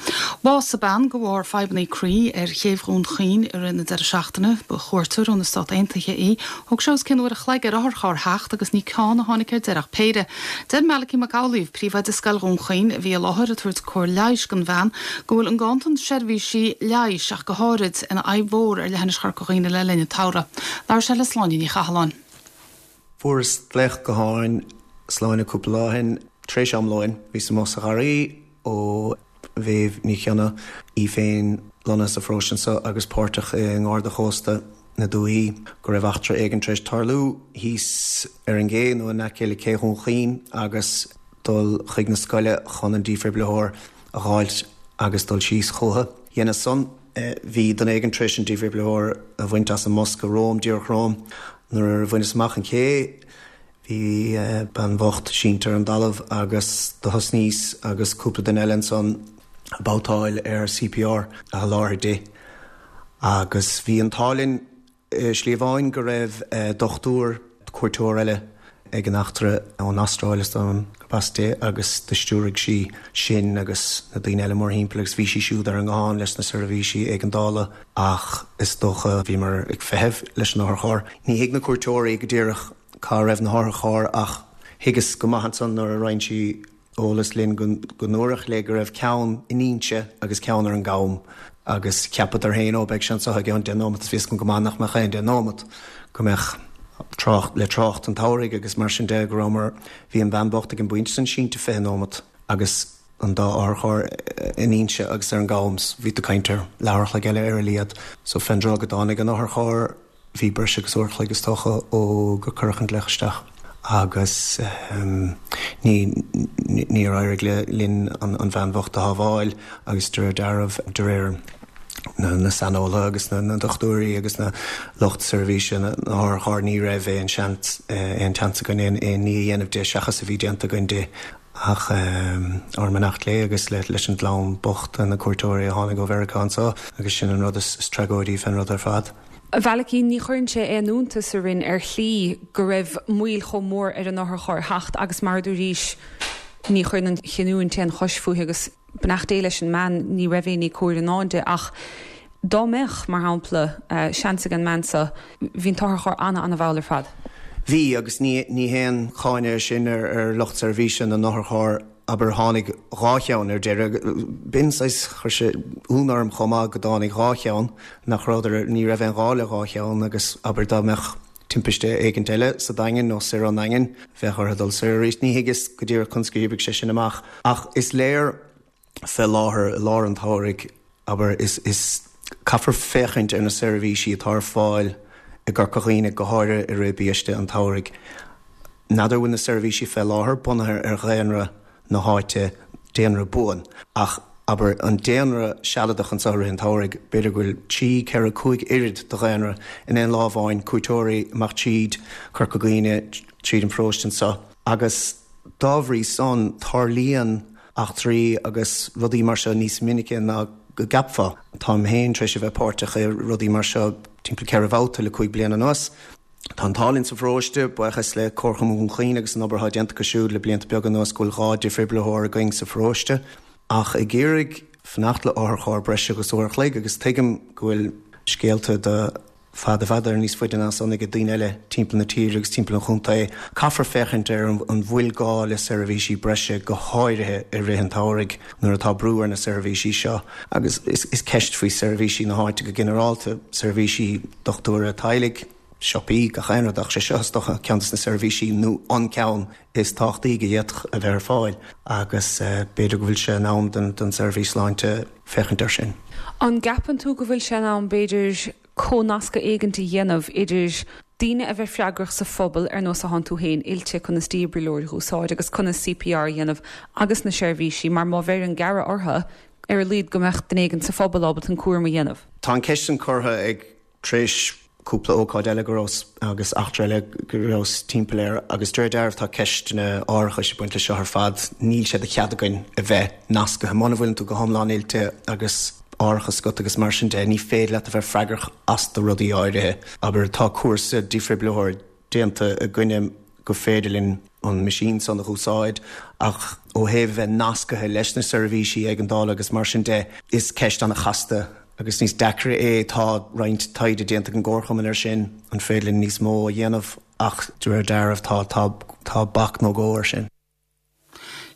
Bhásaigh bean de bharr fadhbanna croí ar chéibh Dhún Chaoin i rith na deireadh seachtaine. Ba chuairteoir ó na Stát Aontaithe í. Thóg sé os cionn uair a chloig ar otharcharr theacht agus ní ceann a tháinig ar deireadh ach péire. Deir Malachy Mac Amhlaoibh, príomhoide Scoil Dhún Chaoin, a bhí i láthair ag tabhairt cóir leighis don bhean, go bhfuil an ganntan seirbhísí leighis ach go háirid, ina fhadhb mhór ar leithinis Chorca Dhuibhne le linn an tsamhraidh. Labhair sé le Sláine Ní Chathalláin. Fuaireas glaoch gutháin, Sláine, cúpla lá ó shin, tar éis am lóin. Bhíos amuigh sa gharraí ó Mhéabh Ní Chionnaith, í féin lonnaithe sa pharóiste anseo agus páirteach i nGarda Chósta na Dúichí, go raibh eachtra éigin tar éis tarlú thíos ar an gcé nó in aice le cé Dhún Chaoin agus dul chuig na scoile chun an dífhibrileoir a dh'fháilt agus dul síos chúthu. Dheineas san. Bhí duine éigin tar éis an dífhibrileoir a bhaint as an mbosca romham, díreach romham. Nuair a bhaineas amach an ché, bhí bean bhocht sínte ar an dtalamh agus do thosnaíos agus cúpla duine eile ansan ag babhtáil ar CPR a sholáthar di. Agus bhí an t-ádh linn. I slí amháin go raibh dochtúir, cuairteoir eile ag an eachtra ón Astráil is dóigh liom gurb as di agus do stiúraigh sí sinn agus na daoine eile mórthimpeall agus bhí sí siúd ar an nguthán leis na seirbhísí éigeandála ach is dócha bhíomar ag feitheamh leis an otharcharr. Ní thuig na cuairteoirí go díreach cá raibh na hotharchairr ach thuigeas go maith ansan nuair a roinn sí eolas linn go ndúradh léi go raibh ceann in Inse agus ceann ar an gCam agus cheapadar féin, ó beidh sé anseo i gceann deich nóimeat is bhí a fhios agam go maith nach mbeadh aon deich nóimeat, go mbeadh trácht, le trácht an tsamhraidh agus mar sin de, go rabhamar, bhí an bhean bhocht ag an bpointe sin sínte 20 nóimeat agus an dá otharcharr in Inse agus ar an gCam, bhí tú ag caint ar leathuair a chloig eile ar a laghad. So fén dtráth go dtáinig an otharcharr, Bhí breis agus uair a chloig is dócha ó gur cuireadh an glaoch isteach agus ní níor éirigh linn an bhean bhocht a shábháil agus de réir dealraimh, de réir na saineolaithe agus na ndochtúirí agus na lucht seirbhíse na n-otharcharr ní raibh aon seans aon tseans againn aon ní a dhéanamh di seachas a bhí déanta againn di. Ach ár mbeannacht léi agus leis an gclann bocht, na cuairteoirí a tháinig ó Mheiriceá anseo agus sin an rud is tragóidí fén rud ar fad. A Mhalachy, ní chuireann sé aon iontas orainn ar shlí go raibh moill chomh mór ar an otharcharr theacht agus mar a dúraís, ní chuireann an chinniúint aon chois fúithi agus beannacht Dé leis an mbean, ní raibh aon ní cóir i ndán di ach dá mbeadh, mar shampla, seans ag an mbean seo, bhí an t-otharcharr ana-ana-mhall ar fad. Bhí, agus ní ní haon cháineadh é sin ar ar lucht seirbhíse na n-otharcharr, abair, tháinig dhá cheann ar deireadh. B'in saghas, chuir sé ionadh orm chomh maith go dtáinig dhá cheann, nach rabhadar, ní raibh aon ghá le dhá cheann agus, abair, dá mbeadh timpiste éigint eile sa Daingean nó soir ón nDaingean, bheadh orthu dul soir arís. Ní thuigeas go díreach conas gur oibrigh sé sin amach ach is léir fé láthair, i lár an tsamhraidh, abair, is, is, caithfear féachaint ar na seirbhísí atá ar fáil i gCorca Dhuibhne, go háirithe i rith biaiste an tsamhraidh. N'fheadar an bhfuil na seirbhísí fé láthair bunaithe ar dhaonra na háite, daonra buan, ach, abair, an daonra sealadach anseo i rith an tsamhraidh, b'fhéidir go bhfuil trí, ceithre, cúig oiread de dhaonra in aon lá amháin, cuairteoirí amach tríd Corca Dhuibhne, tríd an pharóiste anseo. Agus dá bhrí san, tarlaíonn eachtraí agus rudaí mar seo níos minice ná. go gceapfá. Táim féin tar éis a bheith páirteach i rudaí mar seo timpeall 4 bhabhta le 5 bliana anuas. Tá an t-ádh linn sa pharóiste, buíochas le Comharchumann Dhún Chaoin agus an obair atá déanta acu siúd le blianta beaga anuas go bhfuil 2 difhriblitheoir againn sa pharóiste. Ach ag iarraidh fanacht le otharcharr breis agus uair a chloig agus tuigim go bhfuil scéalta de fada fada níos faide ná san ag daoine eile timpeall na tíre agus timpeall an chontae. Caithfear féachaint ar an bhfuil gá le seirbhísí breise go háirithe i rith an tsamhraidh nuair atá brú ar na seirbhísí seo agus is ceist faoi seirbhísí na háite go ginearálta, seirbhísí dochtúra teaghlaigh, siopaí, gach aon rud ach sé seo is dócha ceann des na seirbhísí nó an ceann is tábhachtaí go d'fhéadfadh a bheith ar fáil agus b'fhéidir go bhfuil sé in am don tseirbhís sláinte féachaint air sin. An gceapann tú go bhfuil sé in am, b'fhéidir, comhnascadh éigint a dhéanamh idir daoine a bheith freagrach sa phobal, ar nós atánn tú féin, oilte conas dífhibrileoir a úsáid agus conas CPR a dhéanamh agus na seirbhísí, mar má bheireann gearradh orthu, ar a laghad go mbeadh duine éigin sa phobal ábalta an cúram a dhéanamh? Tá an ceist sin curtha ag tar éis cúpla ócáid eile go rabhas agus eachtra eile go rabhas timpeall air agus de réir dealraimh tá ceisteanna árachais ag baint leis seo ar fad. Níl sé de chead againn a bheith nascaithe. Muna bhfuileann tú go hiomlán oilte agus árachas agat agus mar sin de, ní féidir leat a bheith freagrach as do rudaí áirithe. Abair, tá cúrsa dífhibrileoir déanta againne go féidir linn an meaisín san a dh'úsáid ach ó thaobh a bheith nascaithe leis na seirbhísí éigeandála agus mar sin de, is ceist an-chasta agus níos deacra é. Tá roinnt taighde déanta ag an gComharchumann air sin, an féidir linn níos mó a dhéanamh ach de réir dealraimh tá, tá, tá bac nó dhó air sin.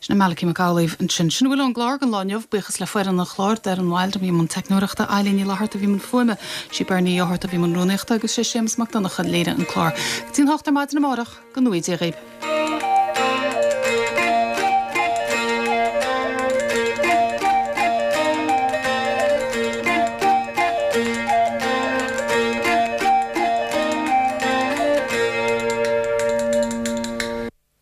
Sin é Malachy Mac Amhlaoibh ansin. Sin a bhfuil ón gclár don lá inniu. Buíochas le foireann an chláir, Doireann Wilde a bhí i mbun teicneoireachta, Eilín Ní Fhlatharta a bhí i mbun fuaime, sí Bernie Ní Fhátharta a bhí i mbun rúnaíochta agus sé Séamus Mac Donncha a léirigh an clár. Go dtí an hocht ar maidin amárach, go ngnóthaí Dia dhaoibh.